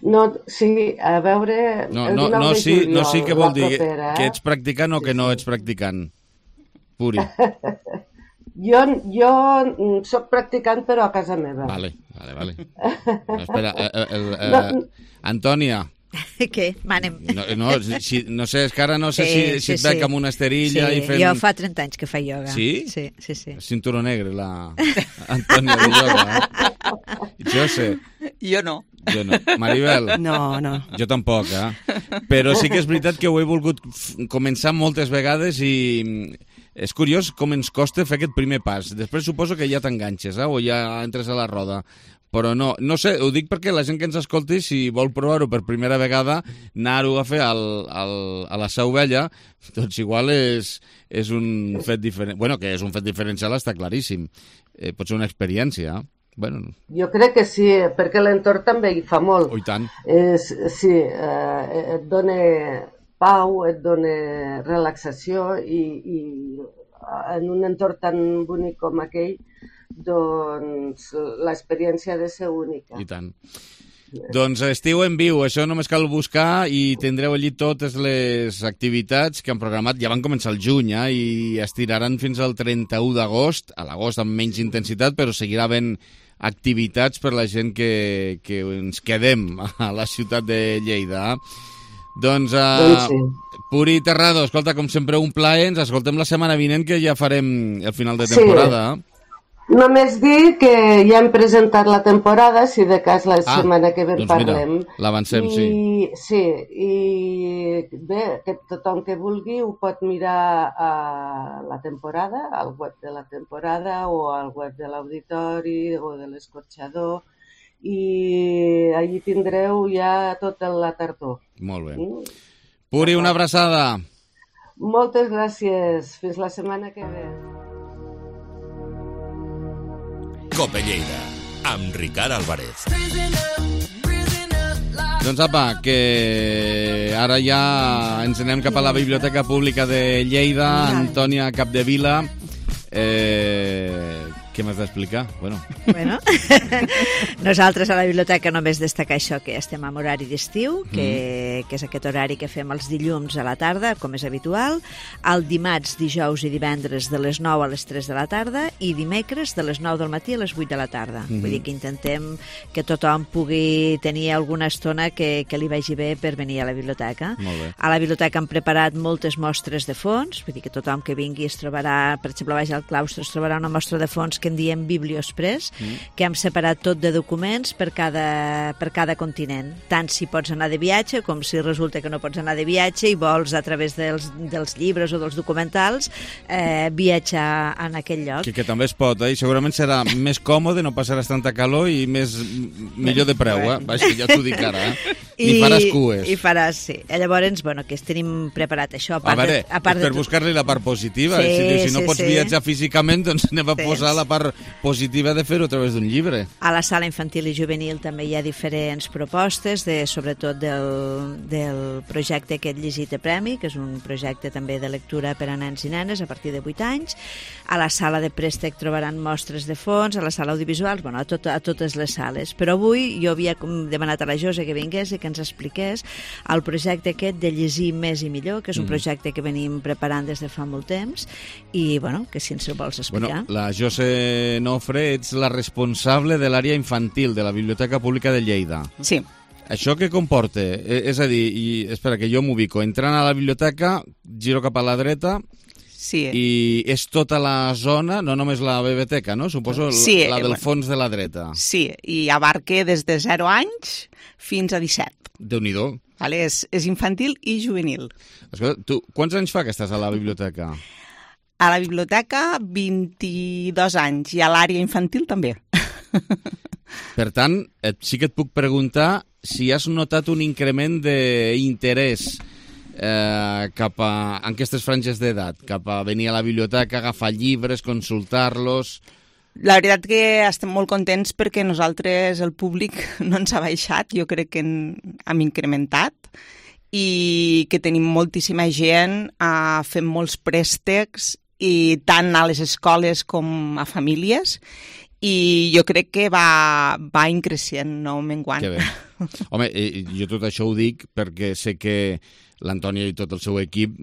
No, sí, a veure... No sí que vol dir que ets practicant o que no ets practicant. Puri. Jo soc practicant, però a casa meva. Vale. No, espera, Antònia. Què? Manem. No sé, és que ara no sé si et veig amb una esterilla i fent... Jo fa 30 anys que fa ioga. Sí? Sí. Cinturó negre, la Antònia de ioga. Jo sé. Jo no. Maribel? No. Jo tampoc, Però sí que és veritat que ho he volgut començar moltes vegades i és curiós com ens costa fer aquest primer pas. Després suposo que ja t'enganxes, o ja entres a la roda. Però no sé, ho dic perquè la gent que ens escolti, si vol provar-ho per primera vegada, anar-ho a fer a la Seu Vella, doncs igual és un fet diferent. Bueno, que és un fet diferencial està claríssim. Pot ser una experiència, Jo crec que sí, perquè l'entorn també hi fa molt. I tant. Sí, et dona pau, et dona relaxació i en un entorn tan bonic com aquell, doncs l'experiència ha de ser única. I tant. Doncs Estiu en Viu, això només cal buscar i tindreu allí totes les activitats que han programat. Ja van començar el juny i estiraran fins al 31 d'agost, a l'agost amb menys intensitat, però seguirà havent activitats per la gent que ens quedem a la ciutat de Lleida. Doncs, Puri Terrado, escolta, com sempre un plaer, ens escoltem la setmana vinent, que ja farem el final de temporada. Només dir que ja hem presentat la temporada, si de cas la setmana que ve parlem. Mira, l'avancem, sí. Sí, i bé, que tothom que vulgui ho pot mirar a la temporada, al web de la temporada o al web de l'Auditori o de l'Escorxador, i allí tindreu ja tota la tardor. Molt bé. Puri, una abraçada. Moltes gràcies. Fins la setmana que ve. Cope Lleida, amb Ricard Álvarez. Doncs apa, que ara ja ens anem cap a la Biblioteca Pública de Lleida. Antònia Capdevila, què m'has d'explicar? Bueno, nosaltres a la biblioteca només destacar això, que estem en horari d'estiu, que és aquest horari que fem els dilluns a la tarda, com és habitual, el dimarts, dijous i divendres de les 9 a les 3 de la tarda i dimecres de les 9 del matí a les 8 de la tarda. Vull dir que intentem que tothom pugui tenir alguna estona que li vagi bé per venir a la biblioteca. A la biblioteca hem preparat moltes mostres de fons, vull dir que tothom que vingui es trobarà, per exemple, baix al claustre es trobarà una mostra de fons que en diem Biblioexpress, que hem separat tot de documents per cada continent, tant si pots anar de viatge com si resulta que no pots anar de viatge i vols a través dels llibres o dels documentals viatjar en aquell lloc. Que també es pot, i segurament serà més còmode, no passaràs tanta calor i millor de preu, Vaja, ja t'ho dic ara, I faràs cues. I faràs, sí. Llavors, que tenim preparat això. Per buscar-li la part positiva. Si no pots viatjar físicament, doncs anem a posar la part positiva de fer-ho a través d'un llibre. A la sala infantil i juvenil també hi ha diferents propostes, sobretot del projecte aquest Llegit a Premi, que és un projecte també de lectura per a nens i nenes a partir de 8 anys. A la sala de préstec trobaran mostres de fons, a la sala audiovisual, a totes les sales. Però avui jo havia demanat a la Josa que vingués i que ens expliqués el projecte aquest de llegir més i millor, que és un projecte que venim preparant des de fa molt temps, i bueno, que si ens ho vols explicar. Bueno, la Jose Nofre, ets la responsable de l'àrea infantil de la Biblioteca Pública de Lleida. Sí. Això què comporta? És a dir, espera, que jo m'ubico. Entrant a la biblioteca, giro cap a la dreta, sí. I és tota la zona, no només la biblioteca, no? Suposo sí, la del fons de la dreta. Sí, i abarca des de 0 anys fins a 17. Déu-n'hi-do. Vale, és infantil i juvenil. Escolta, tu, quants anys fa que estàs a la biblioteca? A la biblioteca, 22 anys, i a l'àrea infantil també. Per tant, sí que et puc preguntar si has notat un increment d'interès cap a en aquestes franges d'edat, cap a venir a la biblioteca, agafar llibres, consultar-los. La veritat que estem molt contents perquè nosaltres, el públic, no ens ha baixat, jo crec que hem incrementat, i que tenim moltíssima gent, fem molts préstecs, i tant a les escoles com a famílies, i jo crec que va increixent, no menguant. Que bé. Home, jo tot això ho dic perquè sé que l'Antònia i tot el seu equip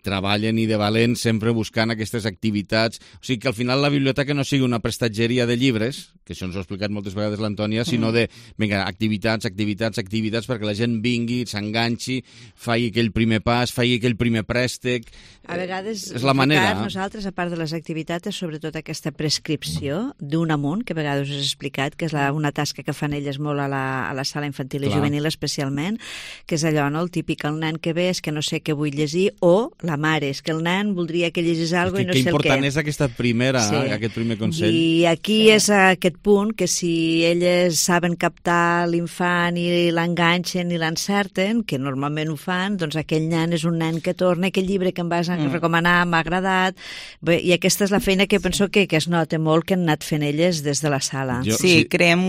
treballen i de valent sempre buscant aquestes activitats. O sigui, que al final la biblioteca no sigui una prestatgeria de llibres, que això ens ho ha explicat moltes vegades l'Antònia, sinó de, vinga, activitats, perquè la gent vingui, s'enganxi, faci aquell primer pas, faci aquell primer préstec. A vegades, és la manera. Nosaltres, a part de les activitats, és sobretot aquesta prescripció d'un amunt, que a vegades us he explicat, que és una tasca que fan elles molt a la sala infantil i juvenil especialment, que és allò, no? El típic, el nen que ve és que no sé què vull llegir, o la mare, és que el nen voldria que llegís alguna cosa i no sé el què. Que important és aquest primer consell. I aquí és aquest punt que si elles saben captar l'infant i l'enganxen i l'encerten, que normalment ho fan, doncs aquell nen és un nen que torna, aquell llibre que em vas recomanar m'ha agradat. Bé, i aquesta és la feina que penso que es nota molt que han anat fent elles des de la sala. Sí, creem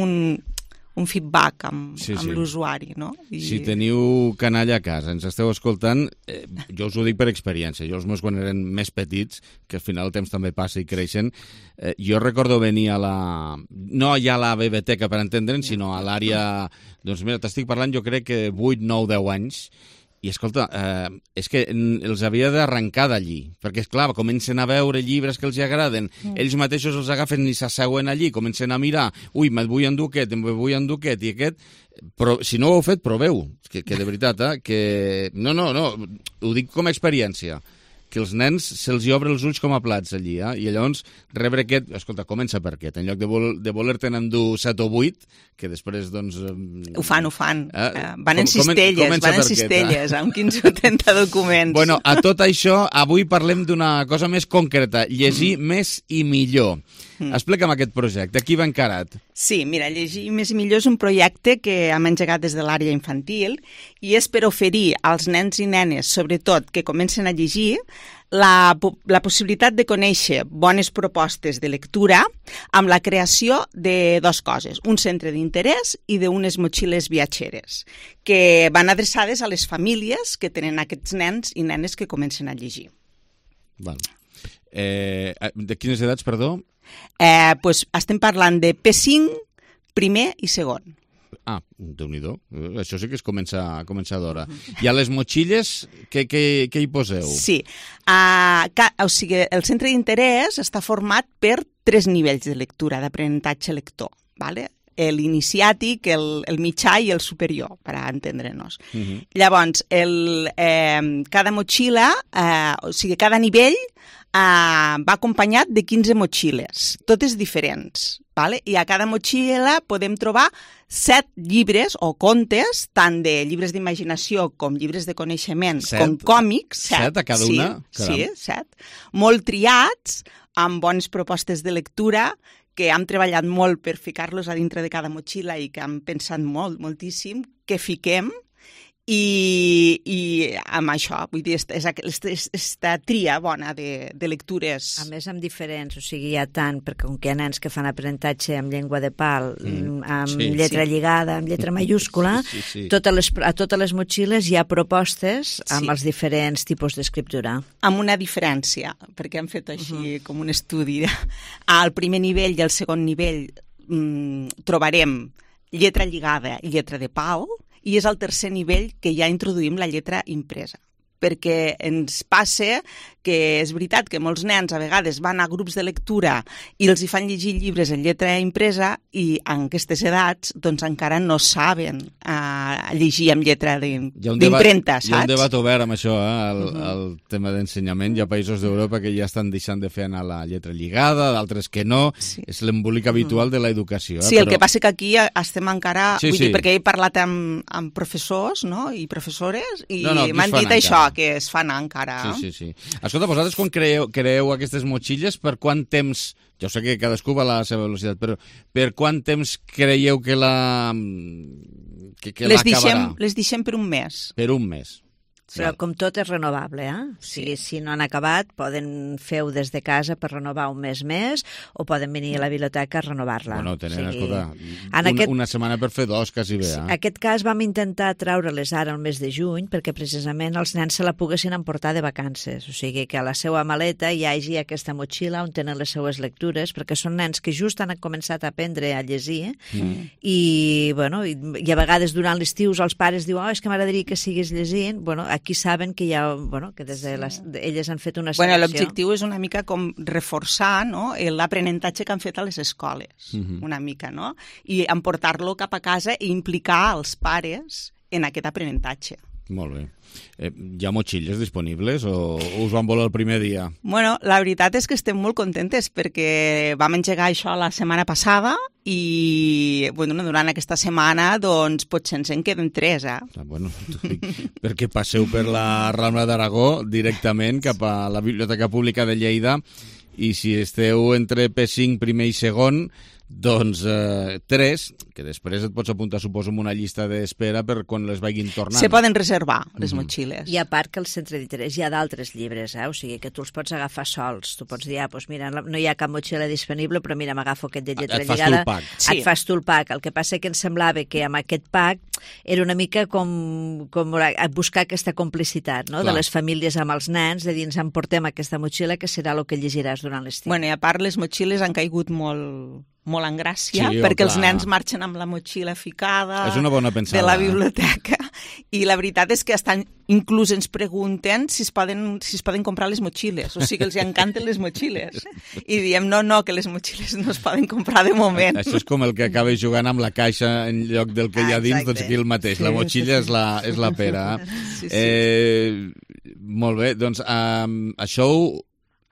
un feedback amb l'usuari, no? Si teniu canalla a casa, ens esteu escoltant, jo us ho dic per experiència. Jo els meus quan eren més petits, que al final el temps també passa i creixen, jo recordo venir a no ja a la biblioteca per entendre'n, sinó a l'àrea... Doncs mira, t'estic parlant jo crec que 8, 9, 10 anys, i escolta, és que els havia d'arrencar d'allí, perquè, esclar, comencen a veure llibres que els agraden, ells mateixos els agafen i s'asseuen allí, comencen a mirar, ui, me'l vull endur aquest, i aquest, però si no ho heu fet, proveu, que de veritat, que... No, ho dic com a experiència, que els nens se'ls hi obren els ulls com a plats allí, i llavors rebre aquest... Escolta, comença per aquest, en lloc de voler-te'n endur 7 o 8, que després, doncs... Ho fan. Van en cistelles, amb 15 o 30 documents. Bueno, a tot això, avui parlem d'una cosa més concreta, llegir més i millor. Explica'm aquest projecte, qui va encarat? Sí, mira, Llegir més i millor és un projecte que hem engegat des de l'àrea infantil i és per oferir als nens i nenes, sobretot que comencen a llegir, la possibilitat de conèixer bones propostes de lectura amb la creació de 2 coses, un centre d'interès i d'unes motxilles viatgeres, que van adreçades a les famílies que tenen aquests nens i nenes que comencen a llegir. Val. De quines edats, perdó? Pues estem parlant de P5, primer i segon. Ah, Déu-n'hi-do. Això sí que es comença d'hora. I a les motxilles, què hi poseu? Sí. O sigui, el centre d'interès està format per 3 nivells de lectura, d'aprenentatge lector, ¿vale? L'iniciàtic, el mitjà i el superior, per entendre'ns. Llavors, cada motxilla, o sigui, cada nivell va acompanyat de 15 motxilles, totes diferents, ¿vale? I a cada motxilla podem trobar 7 llibres o contes, tant de llibres d'imaginació com llibres de coneixement, com còmics. 7 a cada una? Sí, 7. Molt triats, amb bones propostes de lectura, que hem treballat molt per ficar-los a dintre de cada motxilla i que hem pensat moltíssim, que fiquem, i amb això, vull dir, és aquesta tria bona de lectures. A més, amb diferents, o sigui, hi ha tant, perquè com que hi ha nens que fan aprenentatge amb llengua de pal, amb lletra lligada, amb lletra mayúscula, a totes les motxilles hi ha propostes amb els diferents tipus d'escriptura. Amb una diferència, perquè hem fet així com un estudi. Al primer nivell i al segon nivell trobarem lletra lligada i lletra de pal, i és al tercer nivell que ja introduïm la lletra impresa. Perquè ens passa que és veritat que molts nens a vegades van a grups de lectura i els hi fan llegir llibres en lletra impresa i en aquestes edats doncs encara no saben llegir amb lletra d'impremta, saps? Hi ha un debat obert amb això, el tema d'ensenyament. Hi ha països d'Europa que ja estan deixant de fer anar la lletra lligada, d'altres que no. Sí. És l'embolic habitual de l'educació. Sí, el que passa que aquí estem encara... Vull dir, perquè he parlat amb professors, no?, i professores i m'han dit això, que es fan encara. Sí. Escolta, vosaltres quan creeu aquestes motxilles, per quant temps, jo sé que cadascú va a la seva velocitat, però per quant temps creieu que l'acabarà? Les deixem per un mes. Per un mes. Però com tot és renovable, O sigui, si no han acabat, poden fer-ho des de casa per renovar un mes més o poden venir a la biblioteca a renovar-la. Bueno, tenen, escolta, una setmana per fer dos, quasi bé. En aquest cas vam intentar treure-les ara el mes de juny perquè precisament els nens se la poguessin emportar de vacances. O sigui, que a la seva maleta hi hagi aquesta motxilla on tenen les seues lectures, perquè són nens que just han començat a aprendre a llegir i a vegades durant l'estiu els pares diuen és que m'agradaria que siguis llegint. Aquí saben que que des de elles han fet una selecció. L'objectiu és una mica com reforçar l'aprenentatge que han fet a les escoles, una mica, no? I emportar-lo cap a casa i implicar els pares en aquest aprenentatge. Molt bé. Hi ha motxilles disponibles o us van voler el primer dia? Bueno, la veritat és que estem molt contentes perquè vam engegar això la setmana passada i durant aquesta setmana doncs potser ens en queden 3, perquè passeu per la Rambla d'Aragó directament cap a la Biblioteca Pública de Lleida i si esteu entre P5 primer i segon doncs 3, que després et pots apuntar, suposo, en una llista d'espera per quan les vagin tornant. Se poden reservar, les motxilles. I a part que al centre d'interès hi ha d'altres llibres, o sigui que tu els pots agafar sols. Tu pots dir, mira, no hi ha cap motxilla disponible, però mira, m'agafo aquest de lletra lligada. Et fas tu el pack. El que passa que em semblava que amb aquest pack era una mica com buscar aquesta complicitat, no?, de les famílies amb els nens, de dir, ens emportem aquesta motxilla que serà el que llegiràs durant l'estiu. I a part les motxilles han caigut molt en gràcia, perquè els nens marxen amb la motxilla ficada de la biblioteca i la veritat és que inclús ens pregunten si es poden comprar les motxilles, o sigui que els encanten les motxilles i diem no, que les motxilles no es poden comprar de moment. Això és com el que acaba jugant amb la caixa en lloc del que hi ha dins, doncs aquí el mateix, la motxilla és la pera. Molt bé, doncs això,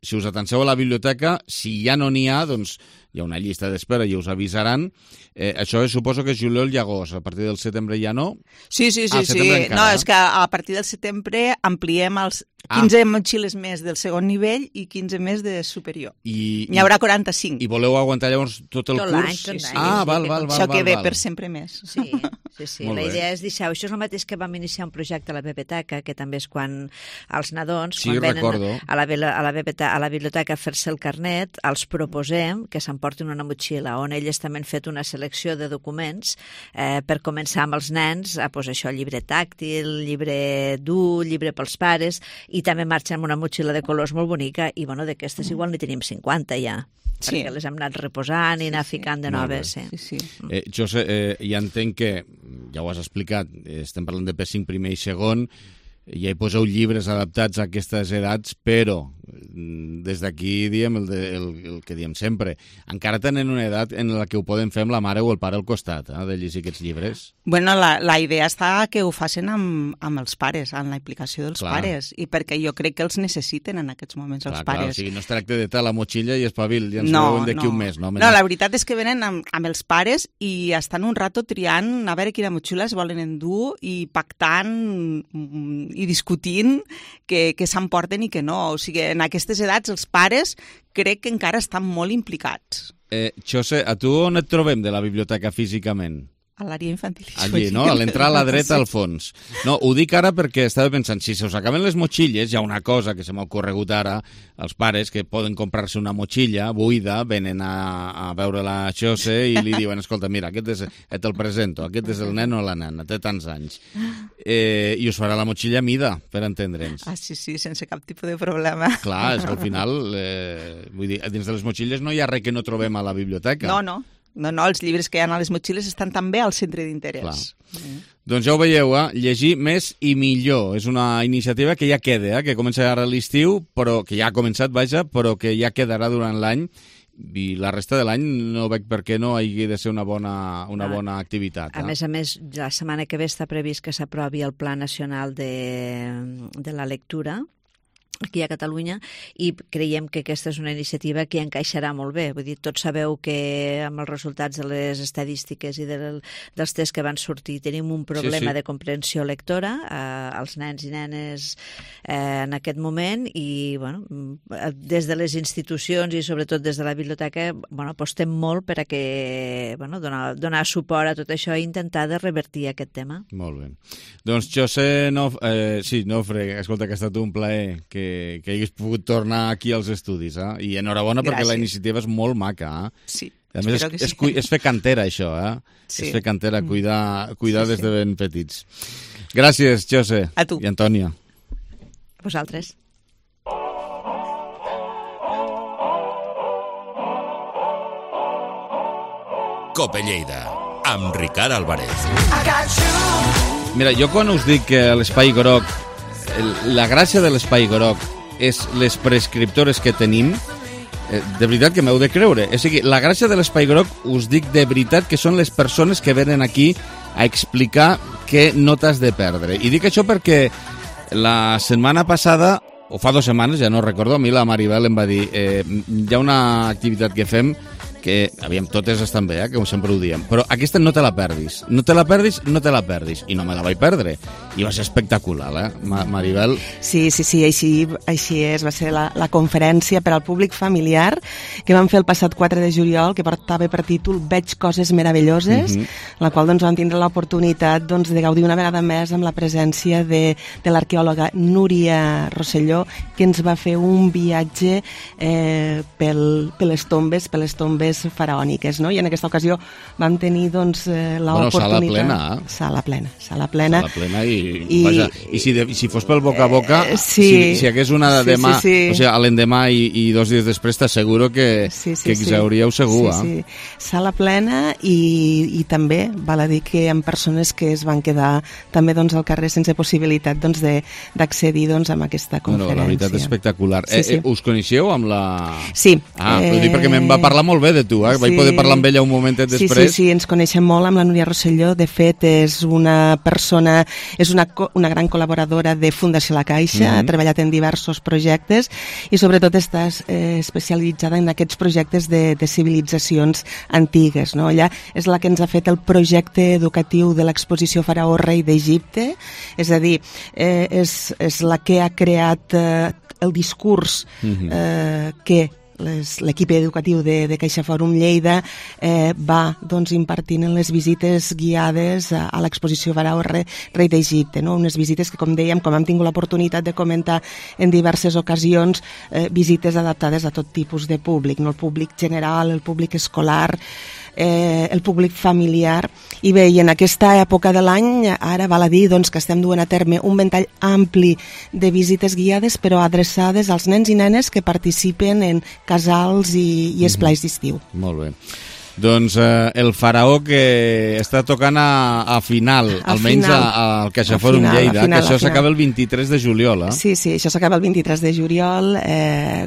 si us atanseu a la biblioteca, si ja no n'hi ha, doncs hi ha una llista d'espera i us avisaran. Això suposo que és juliol i agost. A partir del setembre ja no? Sí. No, és que a partir del setembre ampliem els 15 motxilles més del segon nivell i 15 més de superior. N'hi haurà 45. I voleu aguantar llavors tot el curs? Tot l'any. Val. Això que ve per sempre més. Sí. La idea és deixar... Això és el mateix que vam iniciar un projecte a la biblioteca, que també és quan els nadons, quan venen a la biblioteca a fer-se el carnet, els proposem que s'emportin una motxilla on elles també han fet una selecció de documents per començar amb els nens a posar això, llibre tàctil, llibre dur, llibre pels pares, i també marxen amb una motxilla de colors molt bonica i d'aquestes igual n'hi tenim 50 ja. Perquè les hem anat reposant i anar ficant de noves. Jo ja entenc que, ja ho has explicat, estem parlant de P5 primer i segon, ja hi poseu llibres adaptats a aquestes edats, però des d'aquí diem el que diem sempre. Encara tenen una edat en la que ho poden fer amb la mare o el pare al costat, de llegir aquests llibres? Bueno, la idea està que ho facin amb els pares, amb la implicació dels pares, i perquè jo crec que els necessiten en aquests moments els pares. O sigui, no es tracta de tal la motxilla i espavil, ja ens veuen d'aquí un mes. No, la veritat és que venen amb els pares i estan un rato triant a veure quina motxilla es volen endur i pactant i discutint que s'emporten i que no. O sigui, en aquestes edats els pares crec que encara estan molt implicats. José, a tu on et trobem de la biblioteca físicament? A l'àrea infantil i juvenil. Allí, no? A l'entrar a la dreta al fons. No, ho dic ara perquè estava pensant, si se us acaben les motxilles, hi ha una cosa que se m'ha ocorregut ara, als pares que poden comprar-se una motxilla buida, venen a veure la José i li diuen, escolta, mira, te'l presento, aquest és el nen o la nena, té tants anys. I us farà la motxilla a mida, per entendre'ns. Sí, sense cap tipus de problema. Clar, és que al final, vull dir, dins de les motxilles no hi ha res que no trobem a la biblioteca. No. No, els llibres que hi ha a les motxilles estan també al centre d'interès. Doncs ja ho veieu, llegir més i millor. És una iniciativa que ja queda, que comença ara l'estiu, però que ja ha començat, vaja, però que ja quedarà durant l'any, i la resta de l'any no veig per què no hagi de ser una bona activitat. A més, la setmana que ve està previst que s'aprovi el Pla Nacional de la Lectura aquí a Catalunya, i creiem que aquesta és una iniciativa que encaixarà molt bé. Vull dir, tots sabeu que amb els resultats de les estadístiques i dels tests que van sortir tenim un problema de comprensió lectora als nens i nenes en aquest moment, i des de les institucions i sobretot des de la biblioteca apostem molt per a que donar suport a tot això i intentar de revertir aquest tema. Molt bé. Doncs José Nofre, escolta, que ha estat un plaer que hagués pogut tornar aquí als estudis, i enhorabona perquè la iniciativa és molt maca. Sí, a més, és fer cantera, això, és fer cantera, cuidar des de ben petits. Gràcies, José. A tu. I Antònia. A vosaltres. Cope Lleida, amb Ricard Álvarez. Mira, jo quan us dic que l'Espai Groc, la gràcia de l'Espai Groc és les prescriptores que tenim, de veritat que m'heu de creure. O sigui, la gràcia de l'Espai Groc, us dic de veritat que són les persones que venen aquí a explicar què no t'has de perdre. I dic això perquè la setmana passada, o fa 2 setmanes, ja no recordo, a mi la Maribel em va dir hi ha una activitat que fem que, aviam, totes estan bé, que sempre ho diem, però aquesta no te la perdis. No te la perdis, no te la perdis. I no me la vaig perdre. I va ser espectacular, Maribel? Sí, així és. Va ser la conferència per al públic familiar que vam fer el passat 4 de juliol, que portava per títol Veig coses meravelloses, la qual vam tindre l'oportunitat de gaudir una vegada més amb la presència de l'arqueòloga Núria Rosselló, que ens va fer un viatge per les tombes faraòniques, no? I en aquesta ocasió vam tenir l'oportunitat... Sala plena i si fos pel boca a boca, si hagués una demà, o sigui, a l'endemà i 2 dies després, t'asseguro que exhauríeu segur. Sala plena, i també val a dir que hi ha persones que es van quedar també al carrer sense possibilitat d'accedir a aquesta conferència. La veritat, espectacular. Us coneixeu amb la... Sí. Ho dic perquè me'n va parlar molt bé de tu, vaig poder parlar amb ella un momentet després. Sí, ens coneixem molt amb la Núria Rosselló. De fet, és una persona, és una gran col·laboradora de Fundació La Caixa, ha treballat en diversos projectes i sobretot està especialitzada en aquests projectes de civilitzacions antigues, no? Ella és la que ens ha fet el projecte educatiu de l'exposició Faraó Rei d'Egipte, és a dir, és la que ha creat el discurs que l'equip educatiu de CaixaForum Lleida va impartint en les visites guiades a l'exposició Faraó Rei d'Egipte, no? Unes visites que, com dèiem, com hem tingut l'oportunitat de comentar en diverses ocasions, visites adaptades a tot tipus de públic, no? El públic general, el públic escolar, el públic familiar. I bé, i en aquesta època de l'any ara val a dir que estem duent a terme un ventall ampli de visites guiades, però adreçades als nens i nenes que participen en casals i esplais d'estiu. Molt bé. Doncs el Faraó que està tocant a final, almenys al CaixaForum Lleida, que això s'acaba el 23 de juliol. Sí, això s'acaba el 23 de juliol.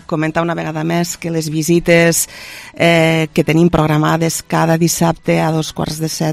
Comentar una vegada més que les visites que tenim programades cada dissabte a 6:45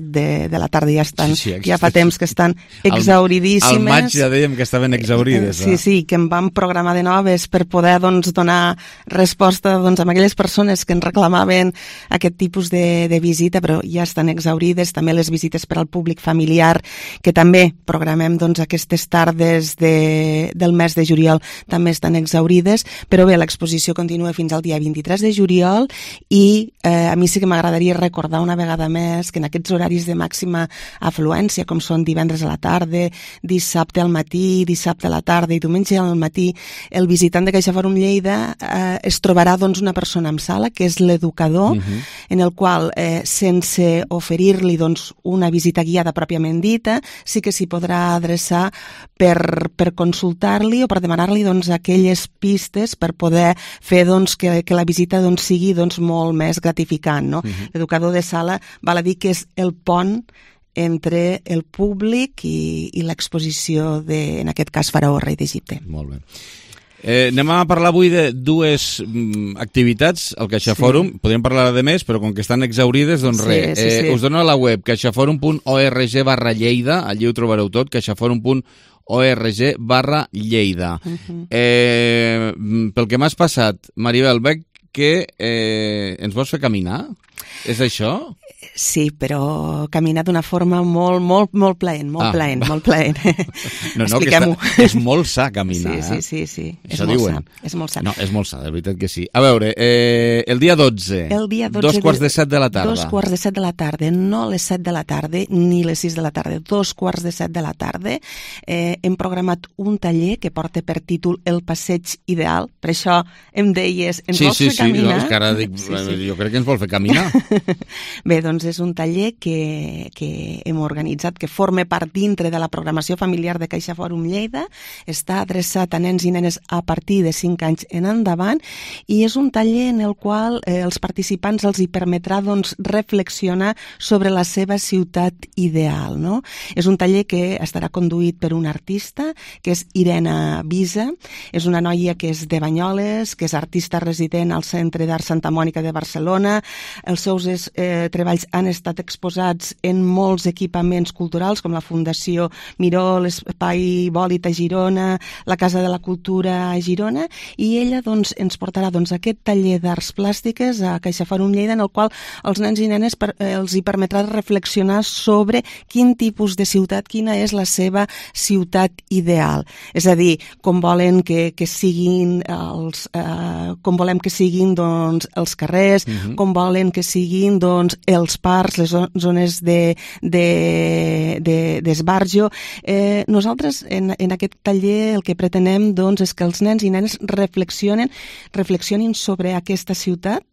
de la tarda ja fa temps que estan exhauridíssimes. Al maig ja dèiem que estaven exaurides. Sí, que en vam programar de noves per poder donar resposta a aquelles persones que ens reclamaven aquest tipus de visita, però ja estan exaurides. També les visites per al públic familiar, que també programem aquestes tardes del mes de juliol, també estan exaurides, però bé, l'exposició continua fins al dia 23 de juliol i a mi sí que m'agradaria recordar una vegada més que en aquests horaris de màxima afluència, com són divendres a la tarda, dissabte al matí, dissabte a la tarda i diumenge al matí, el visitant de CaixaForum Lleida es trobarà una persona en sala, que és l'educador, en el qual qual, sense oferir-li doncs, una visita guiada pròpiament dita, sí que s'hi podrà adreçar per consultar-li o per demanar-li doncs, aquelles pistes per poder fer doncs, que la visita doncs, sigui doncs, molt més gratificant. No? L'educador de sala val a dir que és el pont entre el públic i l'exposició en aquest cas, Faraó, rei d'Egipte. Molt bé. Anem a parlar avui de dues activitats al CaixaForum. Podríem parlar de més, però com que estan exaurides, doncs res. Us dono a la web caixaforum.org/Lleida, allí ho trobareu tot, caixaforum.org/Lleida. Pel que m'has passat, Maribel, veig que ens vols fer caminar? És això? Sí, però caminar d'una forma molt plaent. No, expliquem-ho. És molt sa caminar. Sí. Això diuen. És molt sa. No, és molt sa, de veritat que sí. A veure, el dia 12, 2:45 de la tarda. 2:45 de la tarda, no les 7 de la tarda, ni les 6 de la tarda, 2:45 de la tarda. Hem programat un taller que porta per títol El passeig ideal. Per això em deies, ens vols fer caminar? Sí, és que ara dic, jo crec que ens vol fer caminar. Bé, doncs és un taller que hem organitzat, que forma part dintre de la programació familiar de CaixaForum Lleida, està adreçat a nens i nenes a partir de 5 anys en endavant, i és un taller en el qual els participants els hi permetrà doncs, reflexionar sobre la seva ciutat ideal. No? És un taller que estarà conduït per un artista, que és Irene Visa, és una noia que és de Banyoles, que és artista resident al Centre d'Art Santa Mònica de Barcelona. Els seus treballs han estat exposats en molts equipaments culturals, com la Fundació Miró, l'Espai Bòlit a Girona, la Casa de la Cultura a Girona, i ella doncs, ens portarà aquest taller d'arts plàstiques a CaixaForum Lleida, en el qual els nens i nenes els hi permetrà reflexionar sobre quin tipus de ciutat, quina és la seva ciutat ideal. És a dir, com volen que siguin com volem que siguin doncs, els carrers, com volen que siguin doncs, els parcs, les zones d'esbarjo. Nosaltres en aquest taller el que pretenem doncs, és que els nens i nenes reflexionin sobre aquesta ciutat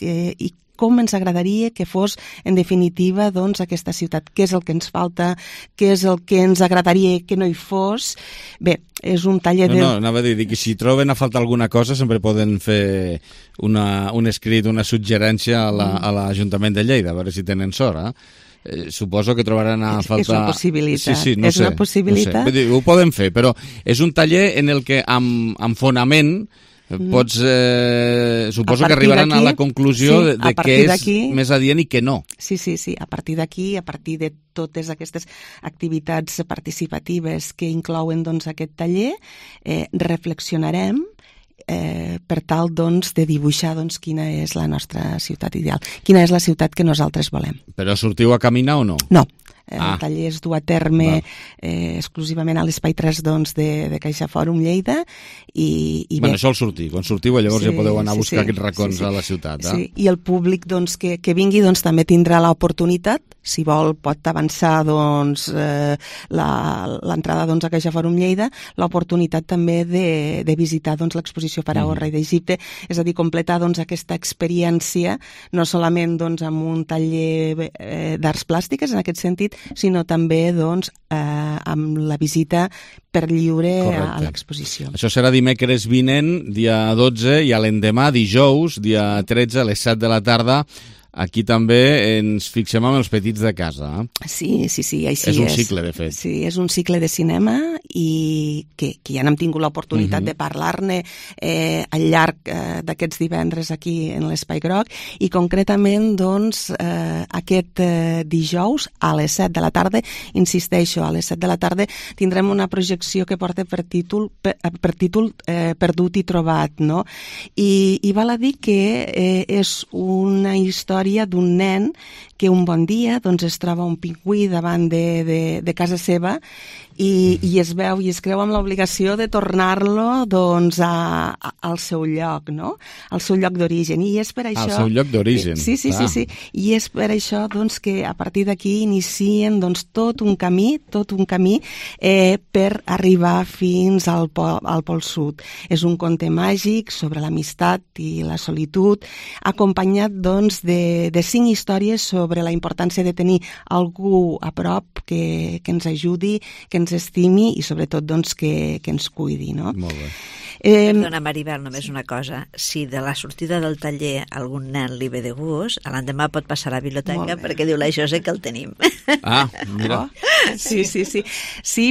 i com ens agradaria que fos, en definitiva, doncs, aquesta ciutat. Què és el que ens falta? Què és el que ens agradaria que no hi fos? Bé, és un taller de... No, anava a dir que si troben a faltar alguna cosa sempre poden fer un escrit, una suggerència a l'Ajuntament de Lleida, a veure si tenen sort, suposo que trobaran a faltar... És una possibilitat. Sí, no sé, una possibilitat. No sé. Ho poden fer, però és un taller en el que amb fonament pots, suposo que arribaran a la conclusió de què és més adient i què no. Sí, a partir d'aquí, a partir de totes aquestes activitats participatives que inclouen doncs, aquest taller, reflexionarem per tal doncs, de dibuixar doncs, quina és la nostra ciutat ideal, quina és la ciutat que nosaltres volem. Però sortiu a caminar o no? No. El taller es du a terme exclusivament a l'Espai 3 doncs, de CaixaForum Lleida i bé, sol sortir. Quan sortiu llavors ja podeu anar a buscar aquests racons a la ciutat. I el públic doncs, que vingui doncs, també tindrà l'oportunitat, si vol pot avançar doncs, l'entrada doncs, a CaixaForum Lleida, l'oportunitat també de visitar doncs, l'exposició Faraó, rei d'Egipte, és a dir, completar doncs, aquesta experiència no solament doncs, amb un taller d'arts plàstiques en aquest sentit, sinó també doncs, amb la visita per lliure a l'exposició. Això serà dimecres vinent, dia 12, i a l'endemà, dijous, dia 13, a les 7 de la tarda, aquí també ens fixem amb els petits de casa. Sí, així és. És un cicle, de fet. Sí, és un cicle de cinema i que ja n'hem tingut l'oportunitat de parlar-ne al llarg d'aquests divendres aquí en l'Espai Groc i concretament doncs, aquest dijous a les 7 de la tarda, insisteixo, a les 7 de la tarda tindrem una projecció que porta per títol Perdut i trobat, no? I val a dir que és una història d'un nen que un bon dia doncs, es troba un pingüí davant de casa seva i es veu i es creu amb l'obligació de tornar-lo doncs, al seu lloc, no? Al seu lloc d'origen. I és per això... Al seu lloc d'origen. Sí. I és per això doncs, que a partir d'aquí inicien doncs, tot un camí per arribar fins al Pol Sud. És un conte màgic sobre l'amistat i la solitud, acompanyat doncs, de 5 històries sobre la importància de tenir algú a prop que ens ajudi, que ens estimi i sobretot doncs, que ens cuidi. No? Molt bé. Perdona, Maribel, només una cosa. Si de la sortida del taller algun nen li ve de gust, l'endemà pot passar a la biblioteca perquè diu la Jose que el tenim. Ah, mira. Sí.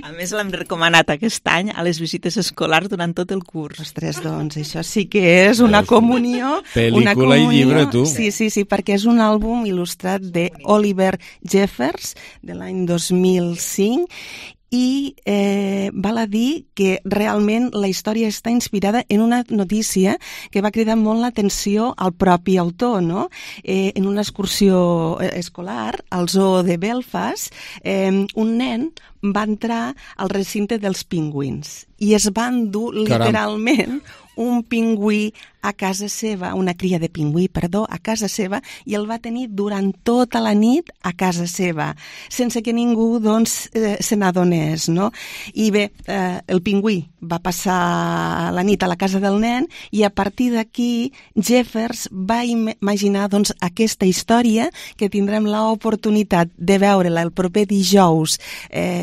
A més, l'hem recomanat aquest any a les visites escolars durant tot el curs. Ostres, doncs, això sí que és una comunió. Pel·lícula i llibre, tu. Sí, perquè és un àlbum il·lustrat d'Oliver Jeffers de l'any 2005 i val a dir que realment la història està inspirada en una notícia que va cridar molt l'atenció al propi autor, no? En una excursió escolar al zoo de Belfast, un nen va entrar al recinte dels pingüins i es va endur literalment un pingüí a casa seva, una cria de pingüí, a casa seva, i el va tenir durant tota la nit a casa seva, sense que ningú, doncs, se n'adonés, no? I bé, el pingüí va passar la nit a la casa del nen i a partir d'aquí Jeffers va imaginar, doncs, aquesta història que tindrem l'oportunitat de veure-la el proper dijous,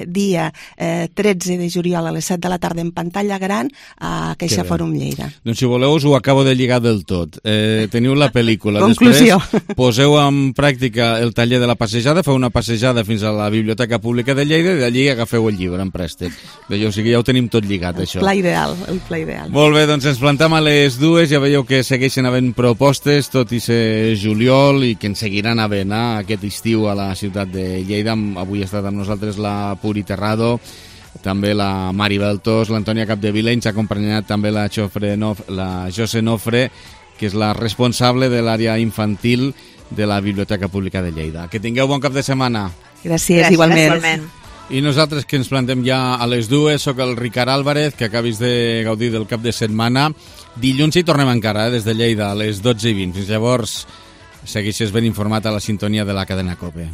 dia 13 de juliol a les 7 de la tarda en pantalla gran a Caixa Fòrum Lleida. Doncs si voleu us ho acabo de lligar del tot. Teniu la pel·lícula. Conclusió. Després poseu en pràctica el taller de la passejada, feu una passejada fins a la Biblioteca Pública de Lleida i d'allí agafeu el llibre en préstec. Bé, o sigui, ja ho tenim tot lligat, això. El pla ideal. Molt bé, doncs ens plantem a les 2, ja veieu que segueixen havent propostes, tot i ser juliol, i que en seguiran havent aquest estiu a la ciutat de Lleida. Avui ha estat amb nosaltres la Puri Terrado, també la Mari Beltos, l'Antònia Capdevila, ens ha acompanyat també la Jose Nofre, que és la responsable de l'àrea infantil de la Biblioteca Pública de Lleida. Que tingueu bon cap de setmana. Gràcies, igualment. I nosaltres que ens plantem ja a les 2, soc el Ricard Álvarez, que acabis de gaudir del cap de setmana. Dilluns hi tornem encara, des de Lleida, a les 12:20. Fins llavors, segueixes ben informat a la sintonia de la cadena COPE.